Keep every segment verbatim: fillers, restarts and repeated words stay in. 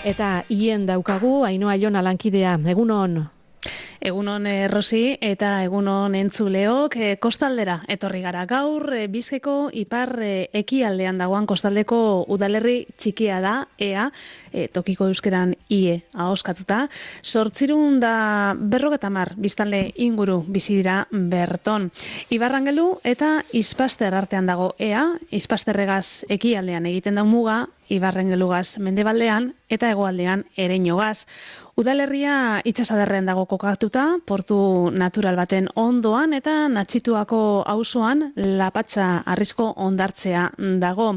eta hien daukagu Ainhoa Jona lankidea. Egunon. Egunon eh, Rosi eta egunon entzuleok, eh, kostaldera etorri gara gaur, eh, Bizkaiko ipar eh, ekialdean dagoan kostaldeko udalerri txikia da, ea, eh, tokiko euskeran ie ahoskatuta, zortzirun da berrogeta mar biztanle inguru bizi dira berton. Ibarrangelu eta Ispaster artean dago ea, Ispasterregaz ekialdean egiten da muga, Ibarrangelugaz mendebaldean eta hegoaldean Ereñogaz. Udalerria itsasadarrean dago kokatuta, portu natural baten ondoan eta Natxituako auzoan Lapatxa arrizko hondartzea dago.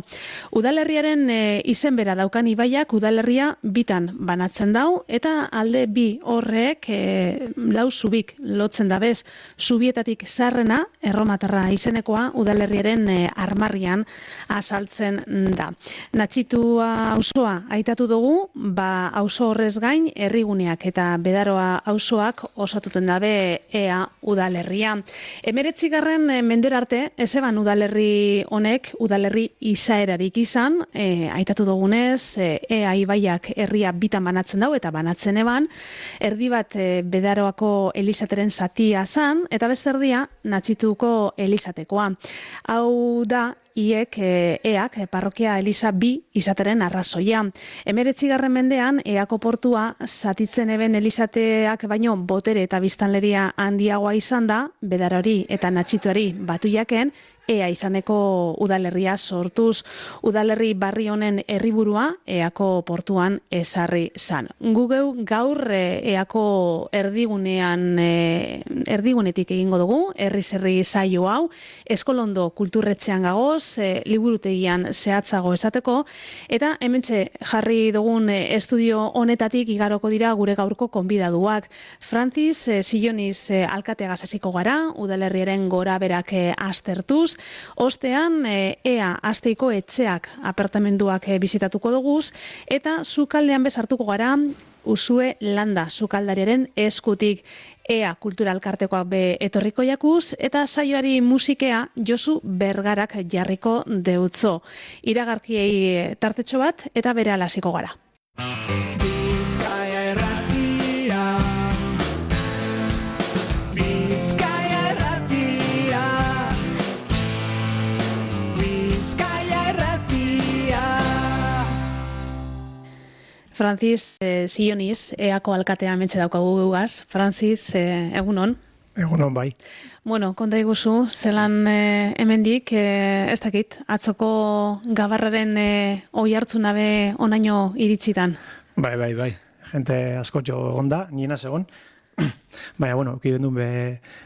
Udalerriaren e, izen bera daukan ibaiak udalerria bitan banatzen dau eta alde bi horrek e, lau zubik lotzen dabez. Zubietatik zarrena, erromatarra izenekoa, udalerriaren e, armarrian azaltzen da. Natxitua auzoa aitatu dugu, ba auzo horrez gain herri eta Bedaroa auzoak osatuten dabe ea udalerria. Emeretzigarren mendera arte, ezeban udalerri honek, udalerri izaerarik izan, e, aitatu dugunez, e, ea ibaiak herria bitan banatzen dau, eta banatzen eban, erdi bat e, Bedaroako Elizateren zatia zan, eta beste erdia Natxituko Elizatekoa. Hau da, iek e, eak parrokia Eliza bi izateren arrazoia. Emeretzigarren mendean, eako portua zatitzen eben Elizateak baino botere eta biztanleria handiagoa izan da, Bedarori eta Natxituari batu jaken, ea izaneko udalerria sortuz. Udalerri barri honen herriburua eako portuan ezarri zan. Gugeu gaur eako erdigunean erdigunetik egingo dugu, herriz herri saio hau, Eskolondo kulturretxean gagoz, e, liburutegian zehatzago esateko, eta hementxe jarri dugun estudio honetatik igaroko dira gure gaurko konbidaduak. Francis e, Silloniz e, alkateagaz hasiko gara, udalerriaren gora berak e, aztertuz. Ostean, e, ea Asteiko etxeak apartamenduak e, bizitatuko duguz, eta sukaldean bezartuko gara Usue Landa sukaldariaren eskutik. Ea kulturalkartekoak be etorriko jakuz, eta saioari musikea Josu Bergarak jarriko deutzo. Iragarkiei tartetxo bat, eta bere alasiko gara. Francis eh, Silloniz, eako alkatea mentxe daukagu gugaz. Francis, eh, egunon? Egunon, bai. Bueno, konta iguzu, zelan eh, hemendik, eh, ez dakit, atzoko gabarraren eh, oi hartzunabe onaino iritsitan? Bai, bai, bai. Gente askotxo egon da, niena segon. Baina, bueno, ukiden duen be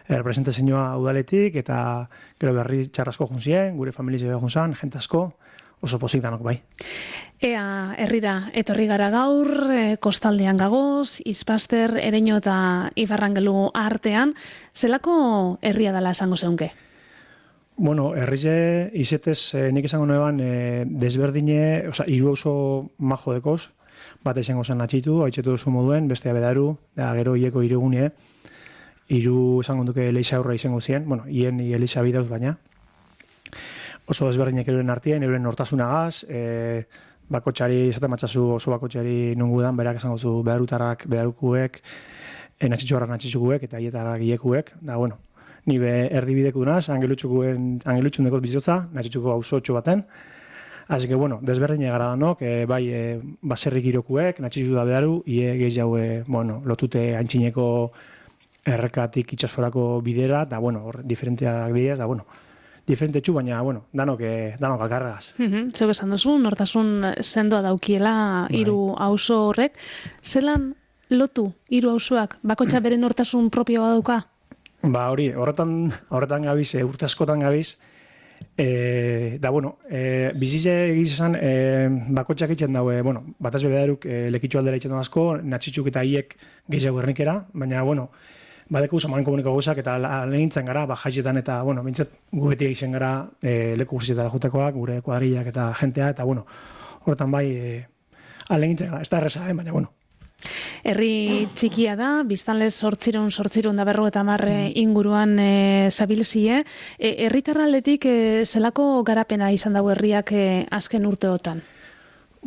representazioa udaletik, eta gero berri txarrasko junzien, gure familizio egon zan, gente asko, oso pozik danok, bai. Ea herrira etorri gara gaur, e, kostaldean gagoz, Ispaster, Ereño eta Ibarrangelu artean, zelako herria dela esango zeunke? Bueno, herrize izetez eh, nik esango nueban eh, desberdine, oza, hiru oso majo dekoz, bat esango zen Natxitu, haitzetu duzu moduen, bestea Bedaru, da gero hieko irugune, hiru esango duke Eliza aurra izango zien, bueno, hien Eliza bidauz baina, oso desberdinek euren artien, euren nortasunagaz, e, bakotxari, esaten matzazu oso bakotxari nungudan, berak esango zu bedarutarrak, bedarukuek, e, natxitxuarrak natxitxukuek, eta hietarrak hiekuek, da, bueno, ni be erdibideku dunaz, angelutxukuen, angelutxun dekot bizitza, natxitxuko auzotxo baten, así que, bueno, desberdinek gara danok, e, bai, e, baserrik irokuek, natxitxu da bedaru, ie gehi jaue, bueno, lotute antxineko errekatik itxasorako bidera, da, bueno, hor, diferenteak dira, da, bueno, diferente txu, baina, bueno, danok, danok alkarregaz. Mm-hmm. Zeu esan duzu, nortasun sendoa daukiela hiru auzo horrek. Zelan lotu hiru auzoak? Bakotxa bere nortasun propioa dauka? Ba, hori, horretan, horretan gabiz, e, urte askotan gabiz, e, da, bueno, e, bizize egizan, e, bakotxak itxen daue, bueno, bataz bebedaruk e, lekitxu aldera itxen dago asko, natxitxuk eta hiek gehiago gernikera, baina, bueno, badeko usaman komuniko guzak eta lehintzen gara, ba, jaixetan eta, bueno, bintzat gu beti egiten gara e, leku guztietara jutekoak, gure kuadrillak eta jentea, eta, bueno, horretan bai, e, lehintzen gara, ez da erreza, eh, baina, bueno. Herri txikia da, biztanlez sortzirun, sortzirun da berro eta marre inguruan e, zabilzie. E, herritarraldetik e, zelako garapena izan dago herriak e, azken urteotan?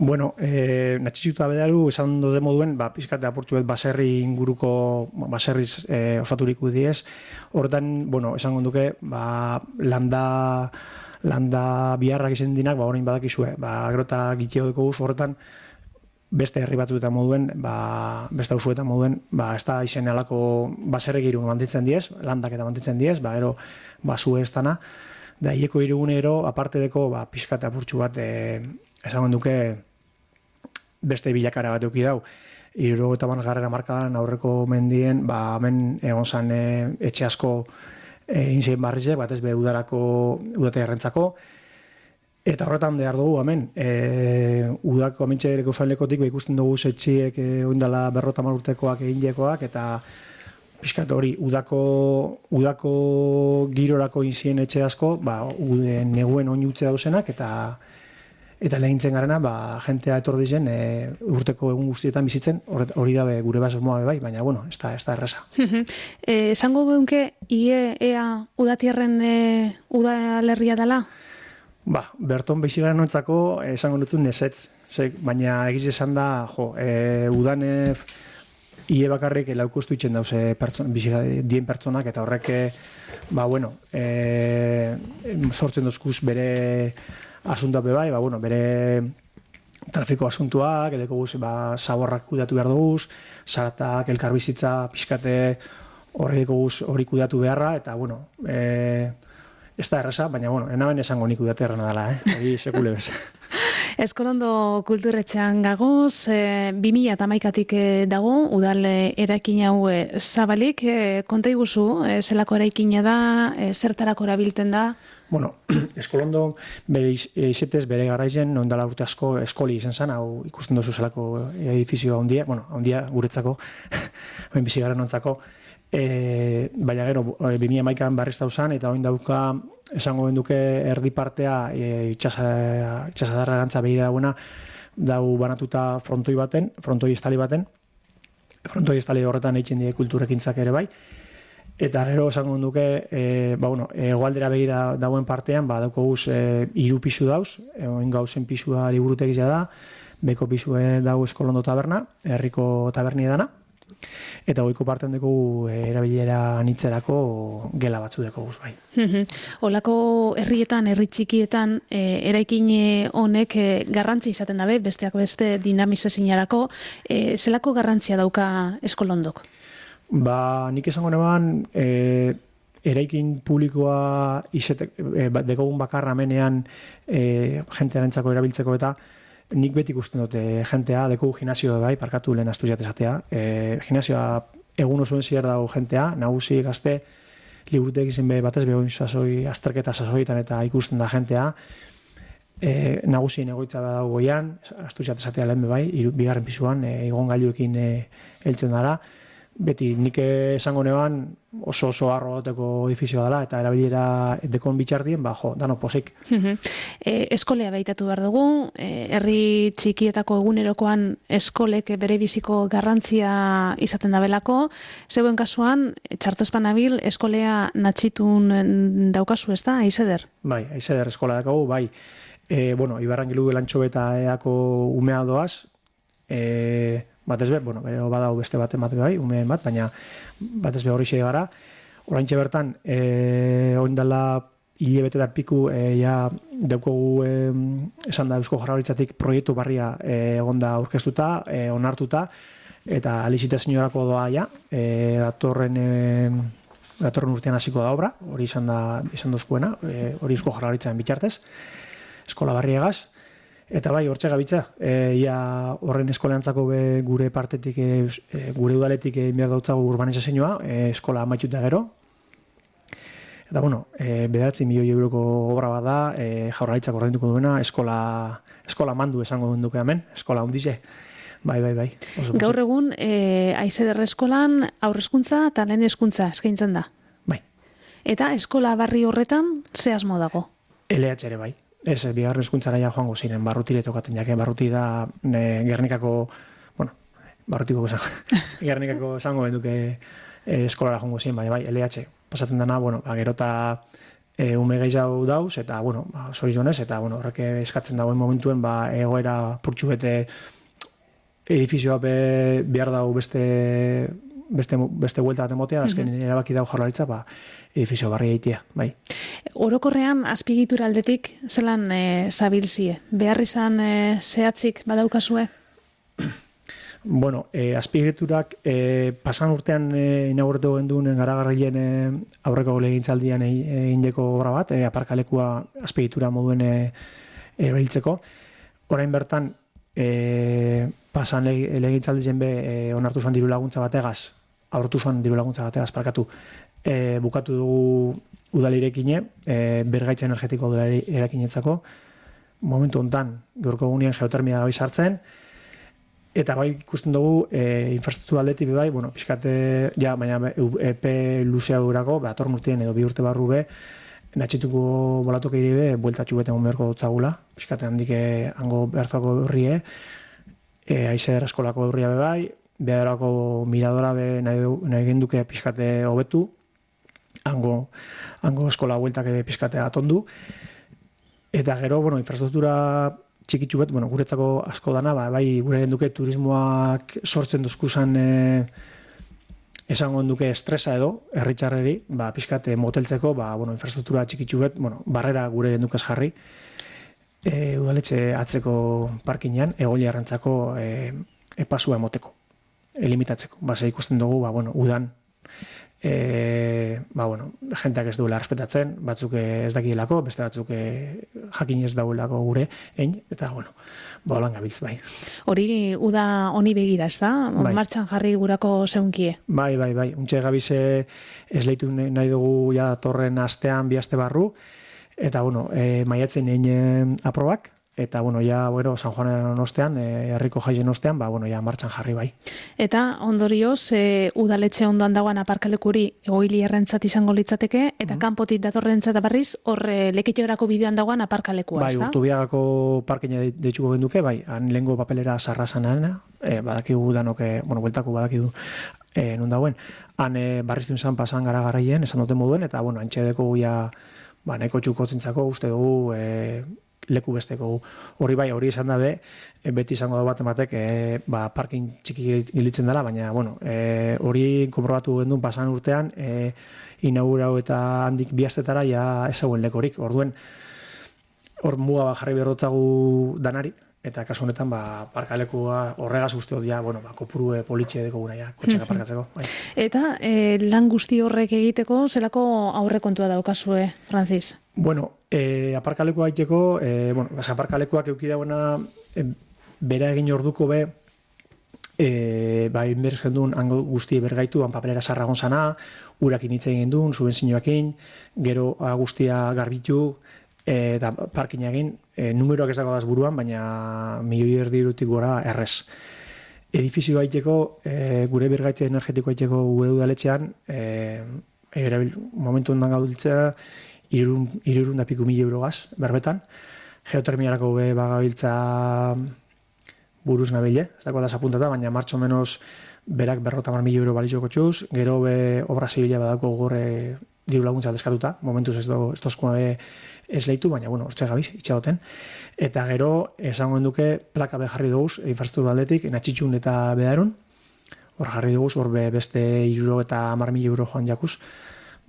Bueno, eh, natxitxuta bedaru, esan dode moduen, ba, pizkate apurtxu bet baserri inguruko, baserriz eh, osaturiko diez. Horretan, bueno, esan gonduke, ba, landa, landa biharrak izan dinak, ba, orain badakizue, ba, grota gitxeo deko guz, horretan, beste herri batzuetan moduen, ba, beste hausuetan moduen, ba, ez da izen alako baserri girun mantitzen diez, landak eta mantitzen diez, ba, ero, ba, zue ez dana, da, hieko irugunero, aparte deko, ba, pizkate apurtxu bat, eh, esan gonduke, beste bilakara bat euki dau. Iruro eta garrera markadan aurreko mendien, ba, hemen egon zan e, etxe asko e, inzien barrizek, bat ez be udarako, udate errentzako. Eta horretan behar dugu, hemen, e, udako amintxe ere gauzain lekotik, ba, ikusten dugu etxiek e, oindala berrota marurtekoak egin jekoak, eta pixkat hori, udako, udako girorako inzien etxe asko, ba, ude, neguen oinutze dauzenak, eta Eta lehintzen garena, ba, jentea etor dizen, e, urteko egun guztietan bizitzen, hori dabe gure basmoa bai, baina, bueno, ez da, ez da erresa. e, esango geunke, ie, ea, udatierren e, udalerria dela? Ba, berton beixigaren nontzako, esango nutzun nesetz, baina egiz esan da, jo, e, udan e, ie bakarrik laukostu itxen dauze pertson, dien pertsonak, eta horrek, ba, bueno, e, sortzen dozkuz bere asuntua bai, ba, bueno, bere trafiko asuntuak, edeko guz, ba, zaborrak kudatu behar duguz, zaratak, elkarbizitza, pixkate horri deko guz hori kudatu beharra, eta, bueno, e, ez da erresa, baina, bueno, enaben esango nik kudate errena dela, eh? Hori sekule bez. Eskolondo kulturretxean gagoz, e, bi mila hamaikatik dago, udal eraikin hau e, zabalik, e, konta iguzu, e, zelako eraikina da, e, zertarako erabiltzen da? Bueno, Eskolondo bere izetez, bere garaizen, ondala urte asko eskoli izan zen, hau ikusten duzu zelako edifizioa ondia, bueno, ondia guretzako, bain bizigaren ontzako, e, baina gero, bi mila hamaikan barrizta uzan, eta oin dauka, esango benduke erdi partea, e, itxasadarra erantza behira dagoena, dau banatuta frontoi baten, frontoi estali baten, frontoi estali horretan eitzen die kulturekintzak ere bai, eta gero esango duke, e, ba, bueno, egoaldera begira dagoen partean, ba, dauko guz e, iru pisu dauz, oin gauzen pisua liburutegia da, beko pisue dau Eskolondo taberna, herriko taberni edana, eta goiko parten dugu e, erabilera anitzerako gela batzu deko guz bai. Olako herrietan, herri txikietan, e, eraikin honek e, garrantzi izaten dabe, besteak beste dinamizezinarako, e, zelako garrantzia dauka Eskolondok? Ba, nik esango neban, e, eraikin publikoa izete, e, dekogun bakarra menean e, jentearentzako erabiltzeko eta nik beti ikusten dute jentea, dekogu gimnasio bai, parkatu lehen astu jatezatea. E, gimnasioa egun osoen zier dago jentea, nagusi gazte, liburutek izin be batez behoin sasoi, azterketa sasoietan eta ikusten da jentea. E, nagusien egoitza da dago goian, astu jatezatea lehen be bai, iru, bigarren pisuan, e, igon gailuekin e, heltzen dara. Beti, nik esango neban oso oso arro goteko edifizioa dela, eta erabilera dekon bitxardien, ba, jo, dano posik. e, eskolea behitatu behar dugu, e, herri txikietako egunerokoan eskolek bere biziko garrantzia izaten dabelako, zeuen kasuan, txartozpan abil, eskolea natxitun daukazu ez da, aizeder? Bai, aizeder eskola dakagu, bai. E, bueno, Ibarran gilu lantxo eta eako umea doaz, e, batez be, bueno, bero badau beste bat emate bai, umeen bat, baina batez be horri gara. Oraintxe bertan, e, oindala hilebete da piku, e, ja, daukogu e, esan da Eusko Jaurlaritzatik proiektu barria e, egonda aurkeztuta, e, onartuta, eta alizite señorako doa ja, e, datorren, e, datorren urtean hasiko da obra, hori izan da, izan dozkuena, e, hori Eusko Jaurlaritzaren bitxartez, eskola barriegaz. Eta bai, hortxe gabitza, e, ia horren eskoleantzako be gure partetik, e, gure udaletik egin behar dautzago urbanizazioa, e, eskola amaituta gero. Eta bueno, e, bederatzi milioi euroko obra bat da, e, Jaurlaritzak ordainduko duena, eskola, eskola mandu esango duke hemen, eskola hundize. Bai, bai, bai. Gaur egun, e, aizeder eskolan aurrezkuntza eta lehen hezkuntza eskaintzen da. Bai. Eta eskola barri horretan ze asmo dago? L H ere bai. Ez, bigarren hezkuntzara ja joango ziren, barrutire tokaten jake, barruti da ne, Gernikako, bueno, barrutiko esan, Gernikako esango benduke e, eskolara joango ziren, bai, bai, L H pasatzen dana, bueno, ba, gerota e, ume gehiago dauz, eta, bueno, ba, zorizonez, eta, bueno, horrek eskatzen dagoen momentuen, ba, egoera purtsu bete edifizioa be, behar dago beste, beste, beste buelta bat emotea, azken mm -hmm. erabaki dago Jaurlaritza, ba, edifizio barri egitea, bai. Orokorrean, azpiegitura aldetik, zelan e, zabilzie? Behar izan e, zehatzik badaukazue? Bueno, eh, azpiegiturak eh, pasan urtean eh, inauguratu genduen garagarrien eh, aurreko legintzaldian egindeko e, obra bat, eh, aparkalekua azpiegitura moduen eh, erabiltzeko. Orain bertan, eh, pasan legintzaldien be eh, onartu zuen diru laguntza bategaz, aurretu zuen diru laguntza bategaz, parkatu, eh, bukatu dugu udalirekine, eh, bergaitza energetiko udalari erakinetzako. Momentu hontan, gaurko egunean geotermia gabe sartzen, eta bai ikusten dugu e, infrastruktura aldetik bai, bueno, pixkate, ja, baina epe luzea durako, ba, atorn urtien edo bi urte barru be, natxituko bolatok ere be, bueltatxu beten beharko dutzagula, pixkate handik hango bertako horrie, e, aizer eskolako horria be bai, beharako miradora be nahi, nahi genduke pixkate hobetu, hango, hango eskola bueltak ebe pixkate atondu, eta gero, bueno, infrastruktura txikitsu bet, bueno, guretzako asko dana, ba, bai gure genduke turismoak sortzen duzkuzan e, esango genduke estresa edo, herritxarreri, ba, pixkat moteltzeko, ba, bueno, infrastruktura txikitsu bet, bueno, barrera gure gendukaz jarri, e, udaletxe atzeko parkinean, egoliarrentzako e, epasua emoteko, elimitatzeko. Ba, ze ikusten dugu, ba, bueno, udan, E, ba, bueno, jenteak ez duela respetatzen, batzuk ez dakielako, beste batzuk jakin ez dauelako gure, ein, eta, bueno, ba, holan gabiltz, bai. Hori, uda honi begira, ez da? Bai. Martxan jarri gurako zeunkie? Bai, bai, bai. Untxe gabize esleitu nahi dugu ja torren astean, bi aste barru, eta, bueno, e, maiatzen egin aprobak, eta, bueno, ja, bueno, San Juanen ostean, herriko jaien ostean, ba, bueno, ja, martxan jarri bai. Eta, ondorioz, e, udaletxe ondoan dagoen aparkalekuri egoili errentzat izango litzateke, eta mm-hmm. kanpotik datorrentzat berriz, horre lekitxerako bidean dagoen aparkalekua, bai, ez da? Bai, Urtubiagako parkina deitxuko genduke, bai, han lehengo papelera sarrazanana, e, badakigu danoke, bueno, bueltako badakigu e, nun dagoen, han e, barriztun zan pasan gara garaien, esan duten moduen, eta, bueno, antxedeko guia, ba, neko txukotzentzako, uste dugu, e, leku besteko hori bai, hori izan dabe, beti izango da bat ematek, e, ba, parkin txiki gilitzen dela, baina, bueno, e, hori konprobatu gendun pasan urtean, e, inaugurau eta handik bihaztetara ja ezagun lekorik, orduen, hor muga jarri berrotzagu danari, eta kasu honetan, ba, parkalekua horregaz uste hori, ja, bueno, ba, kopuru politxe deko guna, ja, kotxeka parkatzeko. Bai. Eta e, lan guzti horrek egiteko, zelako aurrekontua daukazue, Francis? Bueno, e, aparkalekua aiteko, e, bueno, basa, aparkalekuak eukidauena e, bera egin orduko be, e, ba, inbertzen duen hango guzti bergaitu, han papelera sarragon zana, urakin hitz egin duen, subenzioakin, gero guztia garbitu, e, eta parkin egin, e, numeroak ez dago daz buruan, baina milioi erdi irutik gora errez. Edifizio aiteko, e, gure bergaitze energetiko aiteko gure udaletxean, e, erabil, momentu ondan gaudiltzea, irurun da piku mil eurogaz, berbetan. Geotermiarako be bagabiltza buruz nabile, ez dako da apuntata, baina martxo menos berak berrota mar mil euro balizoko txuz, gero be obra zibila badako gore diru laguntza deskatuta, momentuz ez dozkoa be ez lehitu, baina, bueno, hortxe gabiz, itxagoten. Eta gero, esango enduke, plaka be jarri duguz, infrastruktura aldetik, natxitxun eta bedarun, hor jarri duguz, hor be beste iruro eta mar mil euro joan jakuz,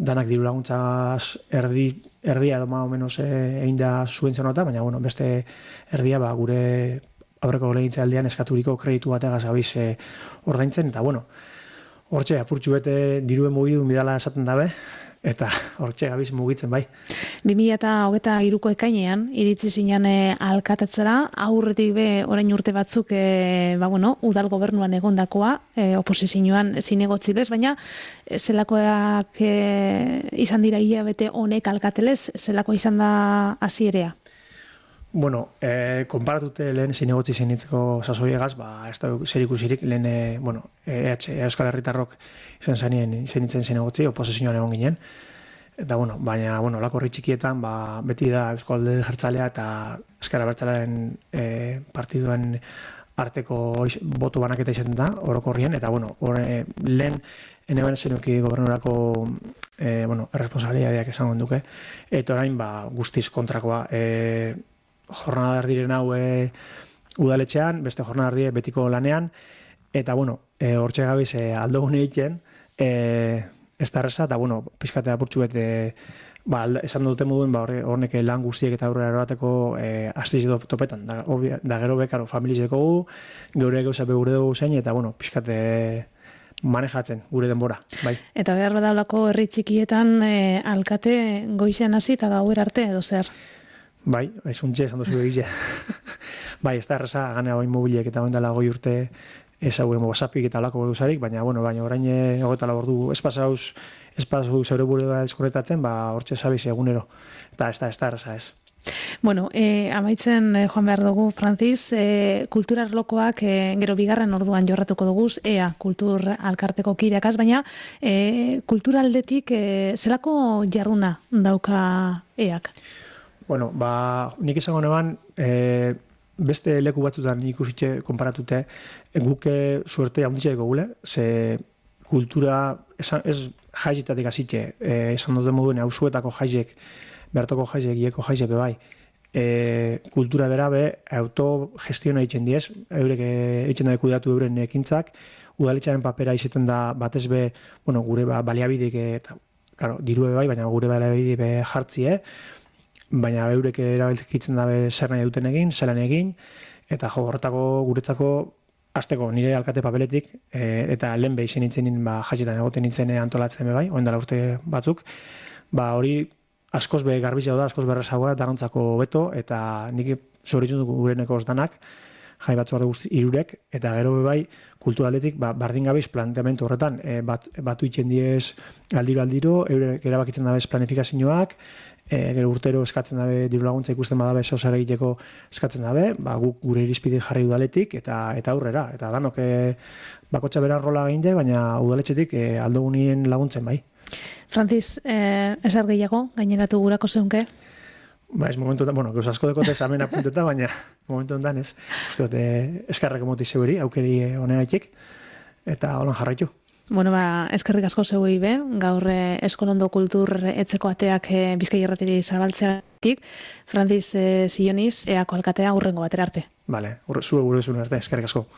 danak diru laguntzaz erdi, erdia edo maa o menos egin da zuen zenota, baina bueno, beste erdia ba, gure aurreko legintza aldean eskaturiko kreditu bategaz gabiz e, ordaintzen, eta bueno, hortxe apurtxu bete diruen mugidu midala esaten dabe, eta hortxe gabiz mugitzen bai. bi mila hogeita hiruko ekainean, iritzi zinean e, alkatatzera, aurretik be orain urte batzuk e, ba, bueno, udal gobernuan egondakoa, e, oposizioan zinegotzilez, baina e, zelakoak e, izan dira hilabete honek alkatelez, zelako izan da hasierea? Bueno, eh, konparatute lehen zinegotzi zinitzeko sasoiegaz, ba, ez da zer ikusirik, lehen, e, bueno, E H, Euskal Herritarrok izan zanien zinitzen zinegotzi, oposizioan egon ginen. Eta, bueno, baina, bueno, lako horri txikietan, ba, beti da Euskal Alderdi Jeltzalea eta Ezker Abertzalearen e, partiduen arteko boto banaketa izaten da, orokorrien, eta, bueno, hori lehen, ene ben zenuki gobernurako e, bueno, erresponsabilidadeak esango duke, eta orain, ba, guztiz kontrakoa, e, jornada erdiren hau e, udaletxean, beste jornada erdie betiko lanean, eta, bueno, e, hortxe gabiz e, aldo gune egiten, e, ez da erreza, eta, bueno, pizkatea purtsu bete, ba, esan dute moduen, ba, hornek lan guztiek eta aurrera erobateko e, astiz topetan, da, obvia, da gero bekaro familizeko gu, geure gauza be gure dugu zein, eta, bueno, pizkate manejatzen gure denbora, bai. Eta behar badaulako herri txikietan e, alkate goizean hasi eta gauer arte edo zer? Bai, ez untxe, esan duzu egize. Bai, ez da erraza, gane hau inmobiliek eta oindala goi urte ez hau WhatsAppik eta alako guzarik, baina, bueno, baina orain hogeta labordu espazauz, espazauz zeure bure da eskorretatzen, ba, hortxe zabiz egunero. Eta ez da, ez da erraza, ez. Bueno, eh, amaitzen eh, joan behar dugu, Francis, eh, kultura arlokoak eh, gero bigarren orduan jorratuko duguz, ea kultur alkarteko kideakaz, baina eh, kultura aldetik eh, zelako jarruna dauka eak? Bueno, ba, nik izango neban, eh, beste leku batzutan ikusitxe konparatute, guke suerte haunditxeko gule, ze kultura, esan, ez jaizitatik azitxe, eh, esan dute moduen hausuetako jaizek, bertoko jaizek, ieko jaizek bai, e, kultura berabe, autogestiona egiten diez, eurek egiten da kudeatu euren ekintzak, udaletxaren papera izaten da batez be, bueno, gure ba, baliabidik, eta, claro, dirue bai, baina gure baliabidik be jartzie, baina eurek erabiltzen dabe zer nahi duten egin, zelan egin, eta jo, horretako guretzako azteko nire alkate papeletik, e, eta lehen behin nintzen ba, jaitzetan egoten nintzen antolatzen be bai, oendala urte batzuk, ba hori askoz be garbizia da, askoz berrezagoa, danontzako beto, eta nik zoritzen duk gureneko osdanak, jai batzu bat guzti irurek, eta gero be bai, kulturaletik, ba, bardin gabiz planteamentu horretan, e, bat, batu itxen diez aldiro-aldiro, eurek erabakitzen dabez planifikazioak, e, gero urtero eskatzen dabe, diru laguntza ikusten badabe, zauzara egiteko eskatzen dabe, ba, guk gure irizpide jarri udaletik, eta eta aurrera, eta danok e, bakotxa bera rola eginde, baina udaletxetik e, aldogunien laguntzen bai. Francis, eh, ezer gehiago, gaineratu gurako zeunke? Ba, ez momentu da, bueno, gauz asko dekote zamen apunteta, baina momentu ondan ez. Uste dut, eh, eskarrak emoti zeuri, aukeri honegaitik, eta holan jarraitu. Bueno, ba, eskerrik asko zeui be, gaur eh, Eskolondo Kultur etzeko ateak eh, Bizkai Irratiri zabaltzeatik, Francis eh, Zioniz, eako alkatea hurrengo batera arte. Vale, zure gure zuen arte, eskerrik asko.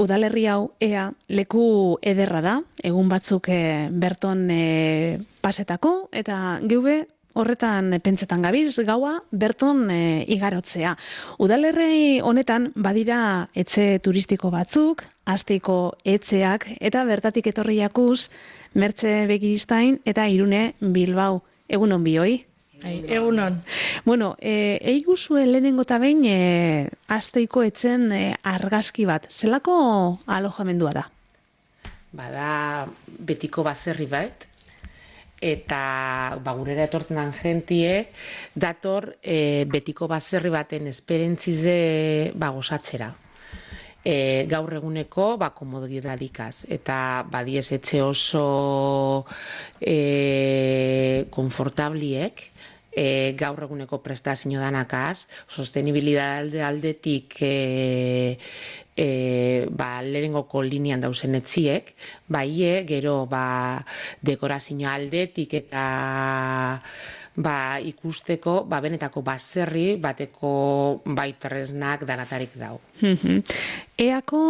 Udalerri hau ea leku ederra da, egun batzuk e, berton e, pasetako, eta geube horretan pentsetan gabiz, gaua berton e, igarotzea. Udalerri honetan badira etxe turistiko batzuk, Asteiko etxeak, eta bertatik etorri jakuz, Mertxe Begiristain eta Irune Bilbao. Egunon bioi? Egunon. Bueno, e, eiguzue lehenengo eta behin e, Asteiko etzen e, argazki bat. Zelako alojamendua da? Bada betiko baserri bat, eta ba, gurera etorten dan jentie, dator e, betiko baserri baten esperentzize ba, gozatzera. E, gaur eguneko ba, komodidadikaz, eta badiez etxe oso e, konfortabliek, E, gaur eguneko prestazio danakaz, sostenibilidade aldetik e, e, ba, lehenengoko linean dauzen etziek, baie, gero ba, dekorazio aldetik eta ba, ikusteko ba, benetako baserri bateko baitresnak danatarik dau. Eako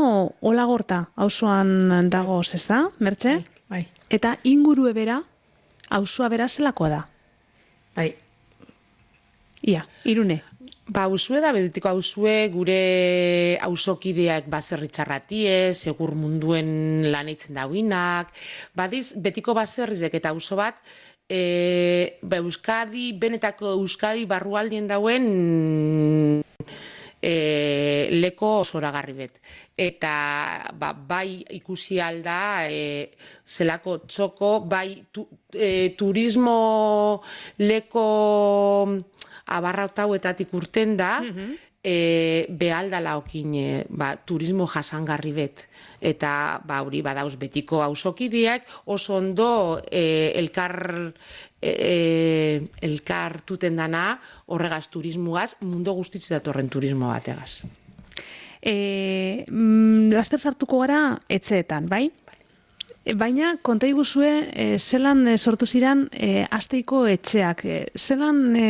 Olagorta auzoan dagoz, ez da, Mertxe? Bai, bai. Eta ingurue bera, auzoa bera zelakoa da? Bai. Ia, Irune. Ba, hausue da, betiko hausue gure hausokideak baserritxarratie, segur munduen lan eitzen dauinak, badiz, betiko baserrizek eta hauso bat, e, ba, Euskadi, benetako Euskadi barrualdien dauen e, leko zoragarri bet. Eta ba, bai ikusi alda e, zelako txoko, bai tu, e, turismo leko abarrautauetatik urten da, mm-hmm. E, behaldala okin e, ba, turismo jasangarri bet. Eta ba, hori badauz betiko auzokideak oso ondo e, elkar, e, elkar tuten dana horregaz turismoaz, mundu guztitzea datorren turismo bategaz. E, mm, laster sartuko gara etxeetan, bai? Baina, konta iguzue, e, zelan e, sortu ziren e, Asteiko etxeak, e, zelan e,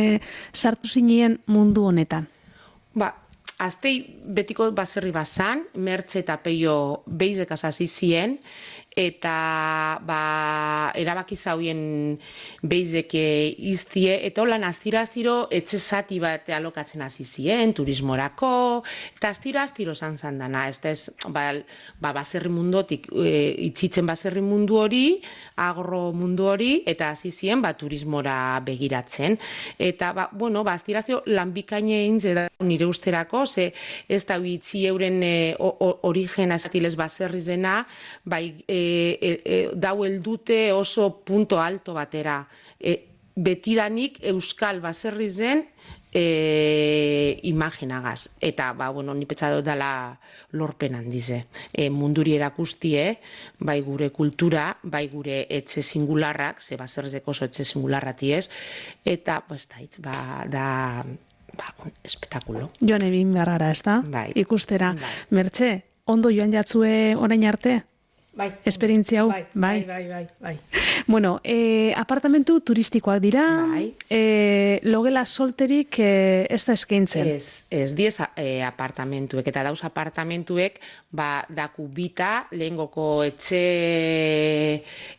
sartu zinien mundu honetan? Ba, Astei betiko baserri bazan, Mertxe eta Peio beizek hasi zien, eta ba, erabaki zauien beizek iztie, eta holan astiro-astiro etxe zati bat alokatzen hasi zien, turismorako, eta astiro-astiro zan zan dana, ez da ez, ba, ba, baserri mundotik, e, itxitzen baserri mundu hori, agro mundu hori, eta hasi zien, ba, turismora begiratzen. Eta, ba, bueno, ba, astiro-astiro lanbikaine egin da nire usterako, ze ez da itzi euren e, origena esatilez baserriz dena, bai, e, E, e, dau eldute oso punto alto batera. E, betidanik euskal baserri zen e, imaginagaz. Eta, ba, bueno, ni petsa dut dela lorpen handize. E, munduri erakustie, bai gure kultura, bai gure etxe singularrak, ze baserrizeko oso etxe singularrati ez, eta, pues, da, ba, da... Ba, un espetakulo. Joan egin beharra, ez da? Bai. Ikustera. Bai. Mertxe, ondo joan jatzue orain arte? Bai. Esperientzia hau? Bai, bai, bai, bai, bai. Bueno, eh, apartamentu turistikoak dira, bai. eh, logela solterik eh, ez da eskaintzen. Ez, ez diez eh, apartamentuek, eta dauz apartamentuek, ba, daku bita, lehengoko etxe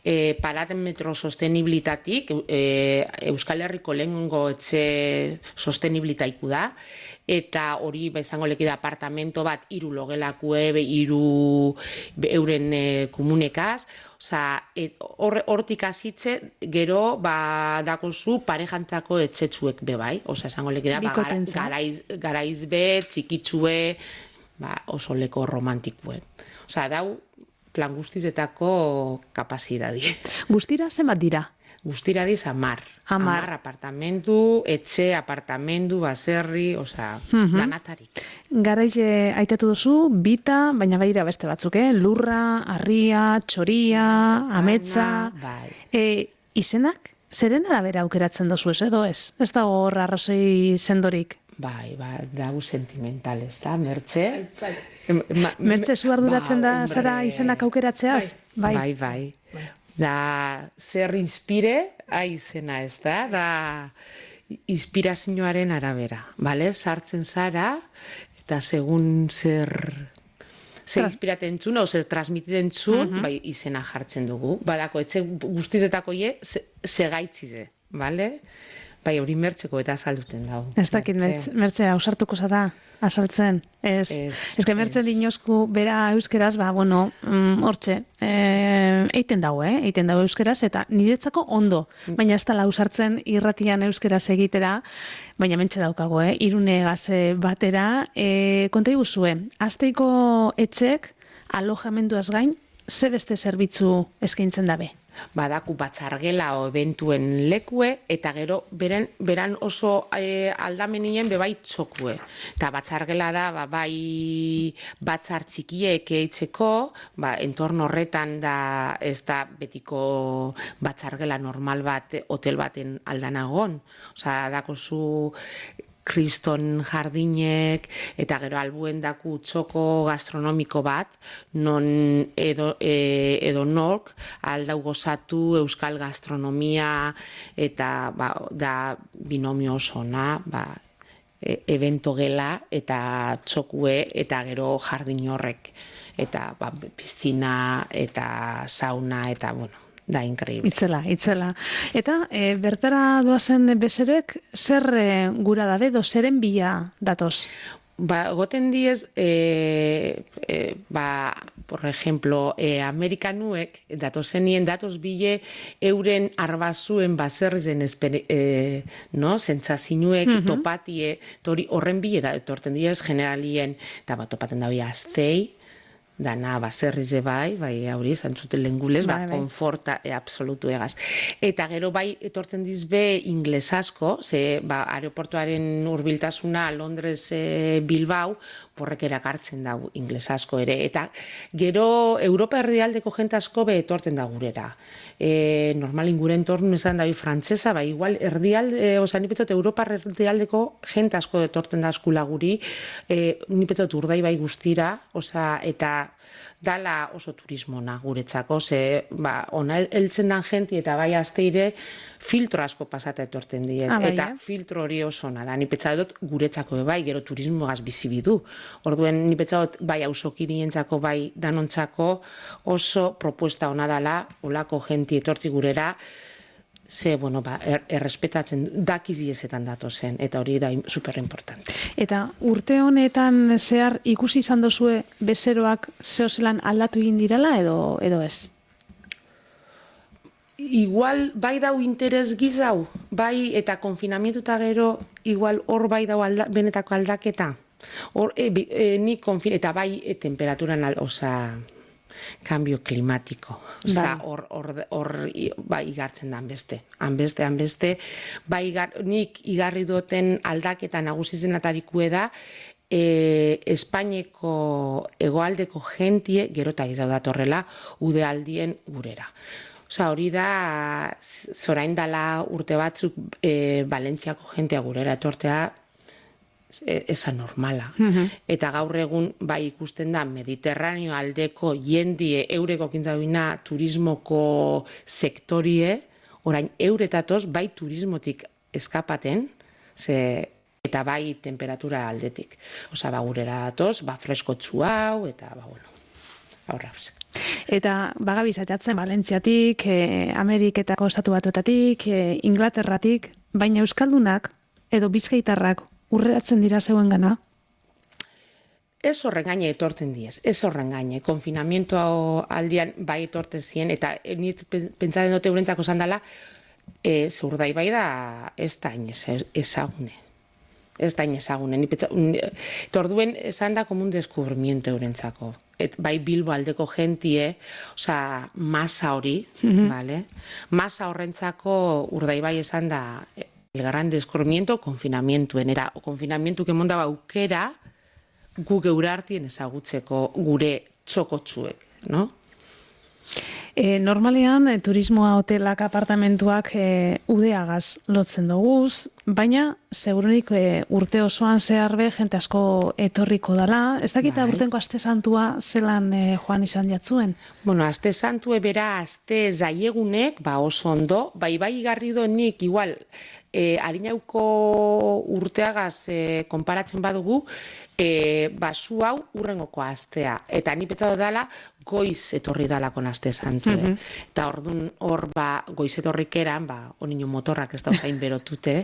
eh, parametro sostenibilitatik, eh, Euskal Herriko lehengo etxe sostenibilitaiku da, eta hori bezango leki da apartamento bat hiru logelakue, hiru euren e, komunekaz, oza, hortik hasitze gero ba dakozu parejantako etxetzuek be bai, oza, esango leki da ba, garaiz, garaiz be, txikitzue, ba, oso leko romantikuen. Oza, dau plan guztizetako kapazidadi. Guztira zenbat dira? Guztira diz amar. Amar. Amar apartamentu, etxe, apartamentu, baserri, osea, uh-huh. danatarik. Garaiz aitatu duzu, bita, baina baira beste batzuk, eh? Lurra, harria, txoria, ametza... Bai. E, izenak? Zeren arabera aukeratzen dozu ez edo ez? Ez da hor arrazoi sendorik? Bai, ba, dago sentimental, ez da, Mertxe? Bai. Ma, Mertxe, zu arduratzen ba, da zara izenak aukeratzeaz? Bai, bai. bai. bai. Da, zer inspire, aizena ez da, da inspirazioaren arabera, bale? Sartzen zara, eta segun zer, zer inspiraten txun, o zer transmititen txun, uh-huh. bai, izena jartzen dugu. Badako, etxe guztizetako ye, segaitzize, bale? Bai, hori Mertxeko eta azalduten dago. Ez dakit, Mertxe, ausartuko zara, azaltzen. Ez, ez que Mertxe dinozku bera euskeraz, ba, bueno, hortxe, mm, eiten dago, eh? Eiten dago euskeraz, eta niretzako ondo. Baina ez tala ausartzen irratian euskeraz egitera, baina mentxe daukago, eh? Irune gaze batera. E, konta iguzue, Asteiko etxek alojamenduaz gain, ze beste zerbitzu eskaintzen dabe? Badaku batzargela o eventuen lekue, eta gero beren, beran oso e, aldamenien bebai txokue. Eta batzargela da, ba, bai batzar txikiek eitzeko, ba, entorno horretan da ez da betiko batzargela normal bat, hotel baten aldanagon. Osa, dako zu kriston jardinek, eta gero albuen daku txoko gastronomiko bat, non edo, e, edo nork aldau gozatu euskal gastronomia, eta ba, da binomio osona, ba, e, evento gela, eta txokue, eta gero jardin horrek, eta ba, piztina, eta sauna, eta bueno, da increíble. Itzela, itzela. Eta e, bertara doazen bezerek, zer e, gura dabe, do zeren bila datoz? Ba, goten diez, e, e, ba, por ejemplo, e, Amerikanuek, datozenien datoz bile, euren arbazuen baserrizen e, no? Zentzazinuek, uh-huh. topatie, tori horren bile, da, etorten diez, generalien, eta ba, topaten da hori aztei, dana baserrize bai, bai hori zantzuten lengulez, ba, konforta e, absolutu egaz. Eta gero bai etorten dizbe ingles asko, ze ba, aeroportuaren hurbiltasuna Londres e, Bilbao, porrek erakartzen da ingles asko ere. Eta gero Europa erdialdeko jente asko be etorten da gurera. E, normalin gure entornu esan da bi frantzesa, bai igual erdialde, oza, nipetot Europa erdialdeko jente asko etorten da askula guri, e, nipetot urdai bai guztira, oza, eta dala oso turismona guretzako, ze ba, ona heltzen dan jenti eta bai asteire filtro asko pasata etorten diez. Ah, bai, eta eh? filtro hori oso ona da. Ni petsadot guretzako bai, gero turismogaz bizi bidu. Orduen ni petsadot bai auzokirientzako bai danontzako oso propuesta ona dala, olako jenti etortzi gurera, ze, bueno, ba, er, errespetatzen dakiziezetan datozen, eta hori da superimportante. Eta urte honetan zehar ikusi izan dozue bezeroak zehozelan aldatu egin dirala edo, edo ez? Igual bai dau interes gizau, bai eta konfinamentuta gero, igual hor bai dau alda, benetako aldaketa. Hor, e, e, ni konfin, eta bai e, temperaturan, oza, cambio climático. Osa, hor, hor, hor, bai, igartzen da hanbeste. Hanbeste, hanbeste, bai, igar, nik igarri duten aldaketa nagusizen atarikue da, e, Espainiako hegoaldeko jentie, gerota izau datorrela, udealdien gurera. Osa, hori da, zorain dala urte batzuk, e, Valentziako jentea gurera etortea, eza normala. Uh-huh. Eta gaur egun bai ikusten da Mediterraneo aldeko jendie eureko kintzabina turismoko sektorie, orain euretatoz bai turismotik eskapaten, ze, eta bai temperatura aldetik. Osa, ba, gurera datoz, ba, freskotzu hau, eta, ba, bueno, aurra. Eta bagabiz atatzen Valentziatik, eh, Ameriketako estatu batuetatik, eh, Inglaterratik, baina euskaldunak edo bizkaitarrak urreratzen dira zeuen gana? Ez horren gaine etorten diez, ez horren gaine. Konfinamiento aldian bai etorten ziren, eta nit pentsatzen dute eurentzako zandala, e, zurdai bai da ez da ezagune. Ez da ezagune. Eta orduen esan da komun deskubrimiento eurentzako. Et, bai Bilbo aldeko jentie, oza, masa hori, mm-hmm. vale? Masa horrentzako urdai bai esan da el gran descubrimiento konfinamientuen, eta konfinamientu kemon da aukera gu geure artien ezagutzeko gure txokotzuek, no? E, normalean, e, turismoa, hotelak, apartamentuak e, udeagaz lotzen doguz, baina, segurunik e, urte osoan zehar be, jente asko etorriko dala. Ez dakita bai. Urtenko aste santua zelan e, joan izan jatzuen? Bueno, aste santue bera, aste zaiegunek, ba oso ondo, bai bai igarri do nik, igual, e, harinauko urteagaz e, konparatzen badugu, e, basu hau urrengoko astea. Eta ni petzado dala, goiz etorri dalakon aste santue. Mm-hmm. Eta ordun hor, ba, goiz etorrikeran, ba, onino motorrak ez da jain berotute,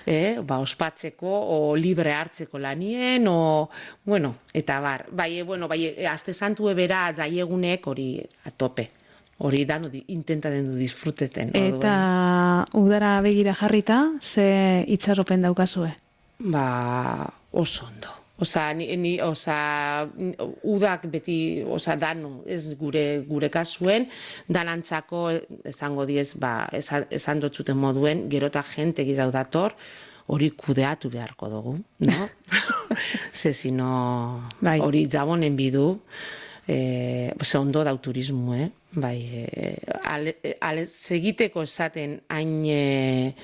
eh? Ba, ospatzeko, o libre hartzeko lanien, o, bueno, eta bar, bai, bueno, bai, aste santue bera jaiegunek hori atope. Hori da, no, intenta den du disfruteten. Eta udara begira jarrita, ze itxaropen daukazue? Ba, oso ondo. Osa, ni, ni, osa, udak beti, osa, danu, ez gure, gure kasuen, danantzako, esango diez, ba, esan, esan dotzuten moduen, gerota jente gizau dator, hori kudeatu beharko dugu, no? Ze, sino, bai. Hori jabonen bidu, e, ze ondo dau turismo, eh? Bai, e, ale, ale, segiteko esaten hain, e,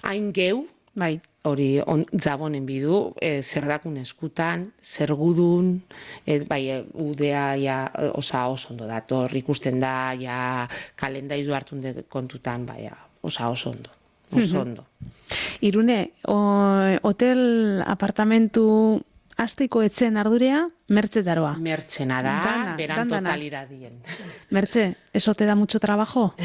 hain geu, bai. Hori on, jabonen bidu, e, zerdakun eskutan, zergudun, e, bai, e, udea, ja, osa oso ondo dator, ikusten da, ja, kalendaizu hartun de kontutan, bai, osa oso ondo, oso ondo. Irune, o, hotel, apartamentu, Asteiko etzen ardurea, Mertxe daroa. Mertxena da, dana, beran totaliradien. Mertxe, ¿eso te da mucho trabajo?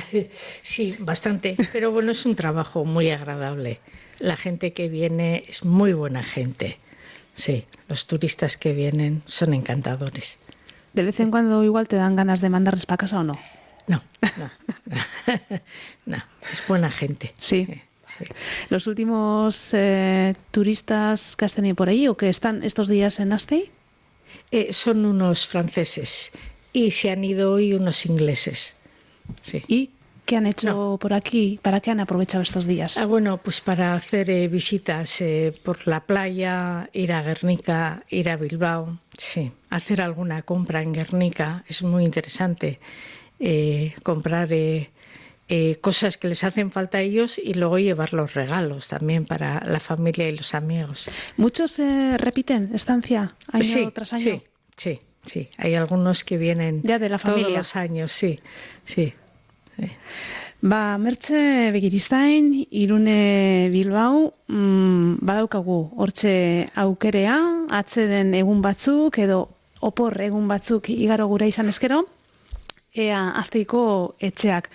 Sí, bastante, pero bueno, es un trabajo muy agradable. La gente que viene es muy buena gente. sí, los turistas que vienen son encantadores. ¿De vez en cuando igual te dan ganas de mandarles para casa o no? No, no, no, no, es buena gente. Sí. Sí, sí. ¿Los últimos eh, turistas que has tenido por ahí o que están estos días en Astey? Eh, son unos franceses y se han ido hoy unos ingleses. Sí. ¿Y qué han hecho No. por aquí? ¿Para qué han aprovechado estos días? Ah, bueno, pues para hacer eh, visitas eh, por la playa, ir a Guernica, ir a Bilbao, sí, hacer alguna compra en Guernica, es muy interesante. Eh, comprar eh, eh, cosas que les hacen falta a ellos y luego llevar los regalos también para la familia y los amigos. ¿Muchos eh, repiten estancia año sí, tras año? sí, sí, sí. Hay algunos que vienen Ya de la todos familia. los años, sí, sí. sí. Ba, Mertxe Begiristain, Irune Bilbao, mm, badaukagu hortxe aukerea, atzeden egun batzuk edo opor egun batzuk igaro gura izan eskero, ea Asteiko etxeak.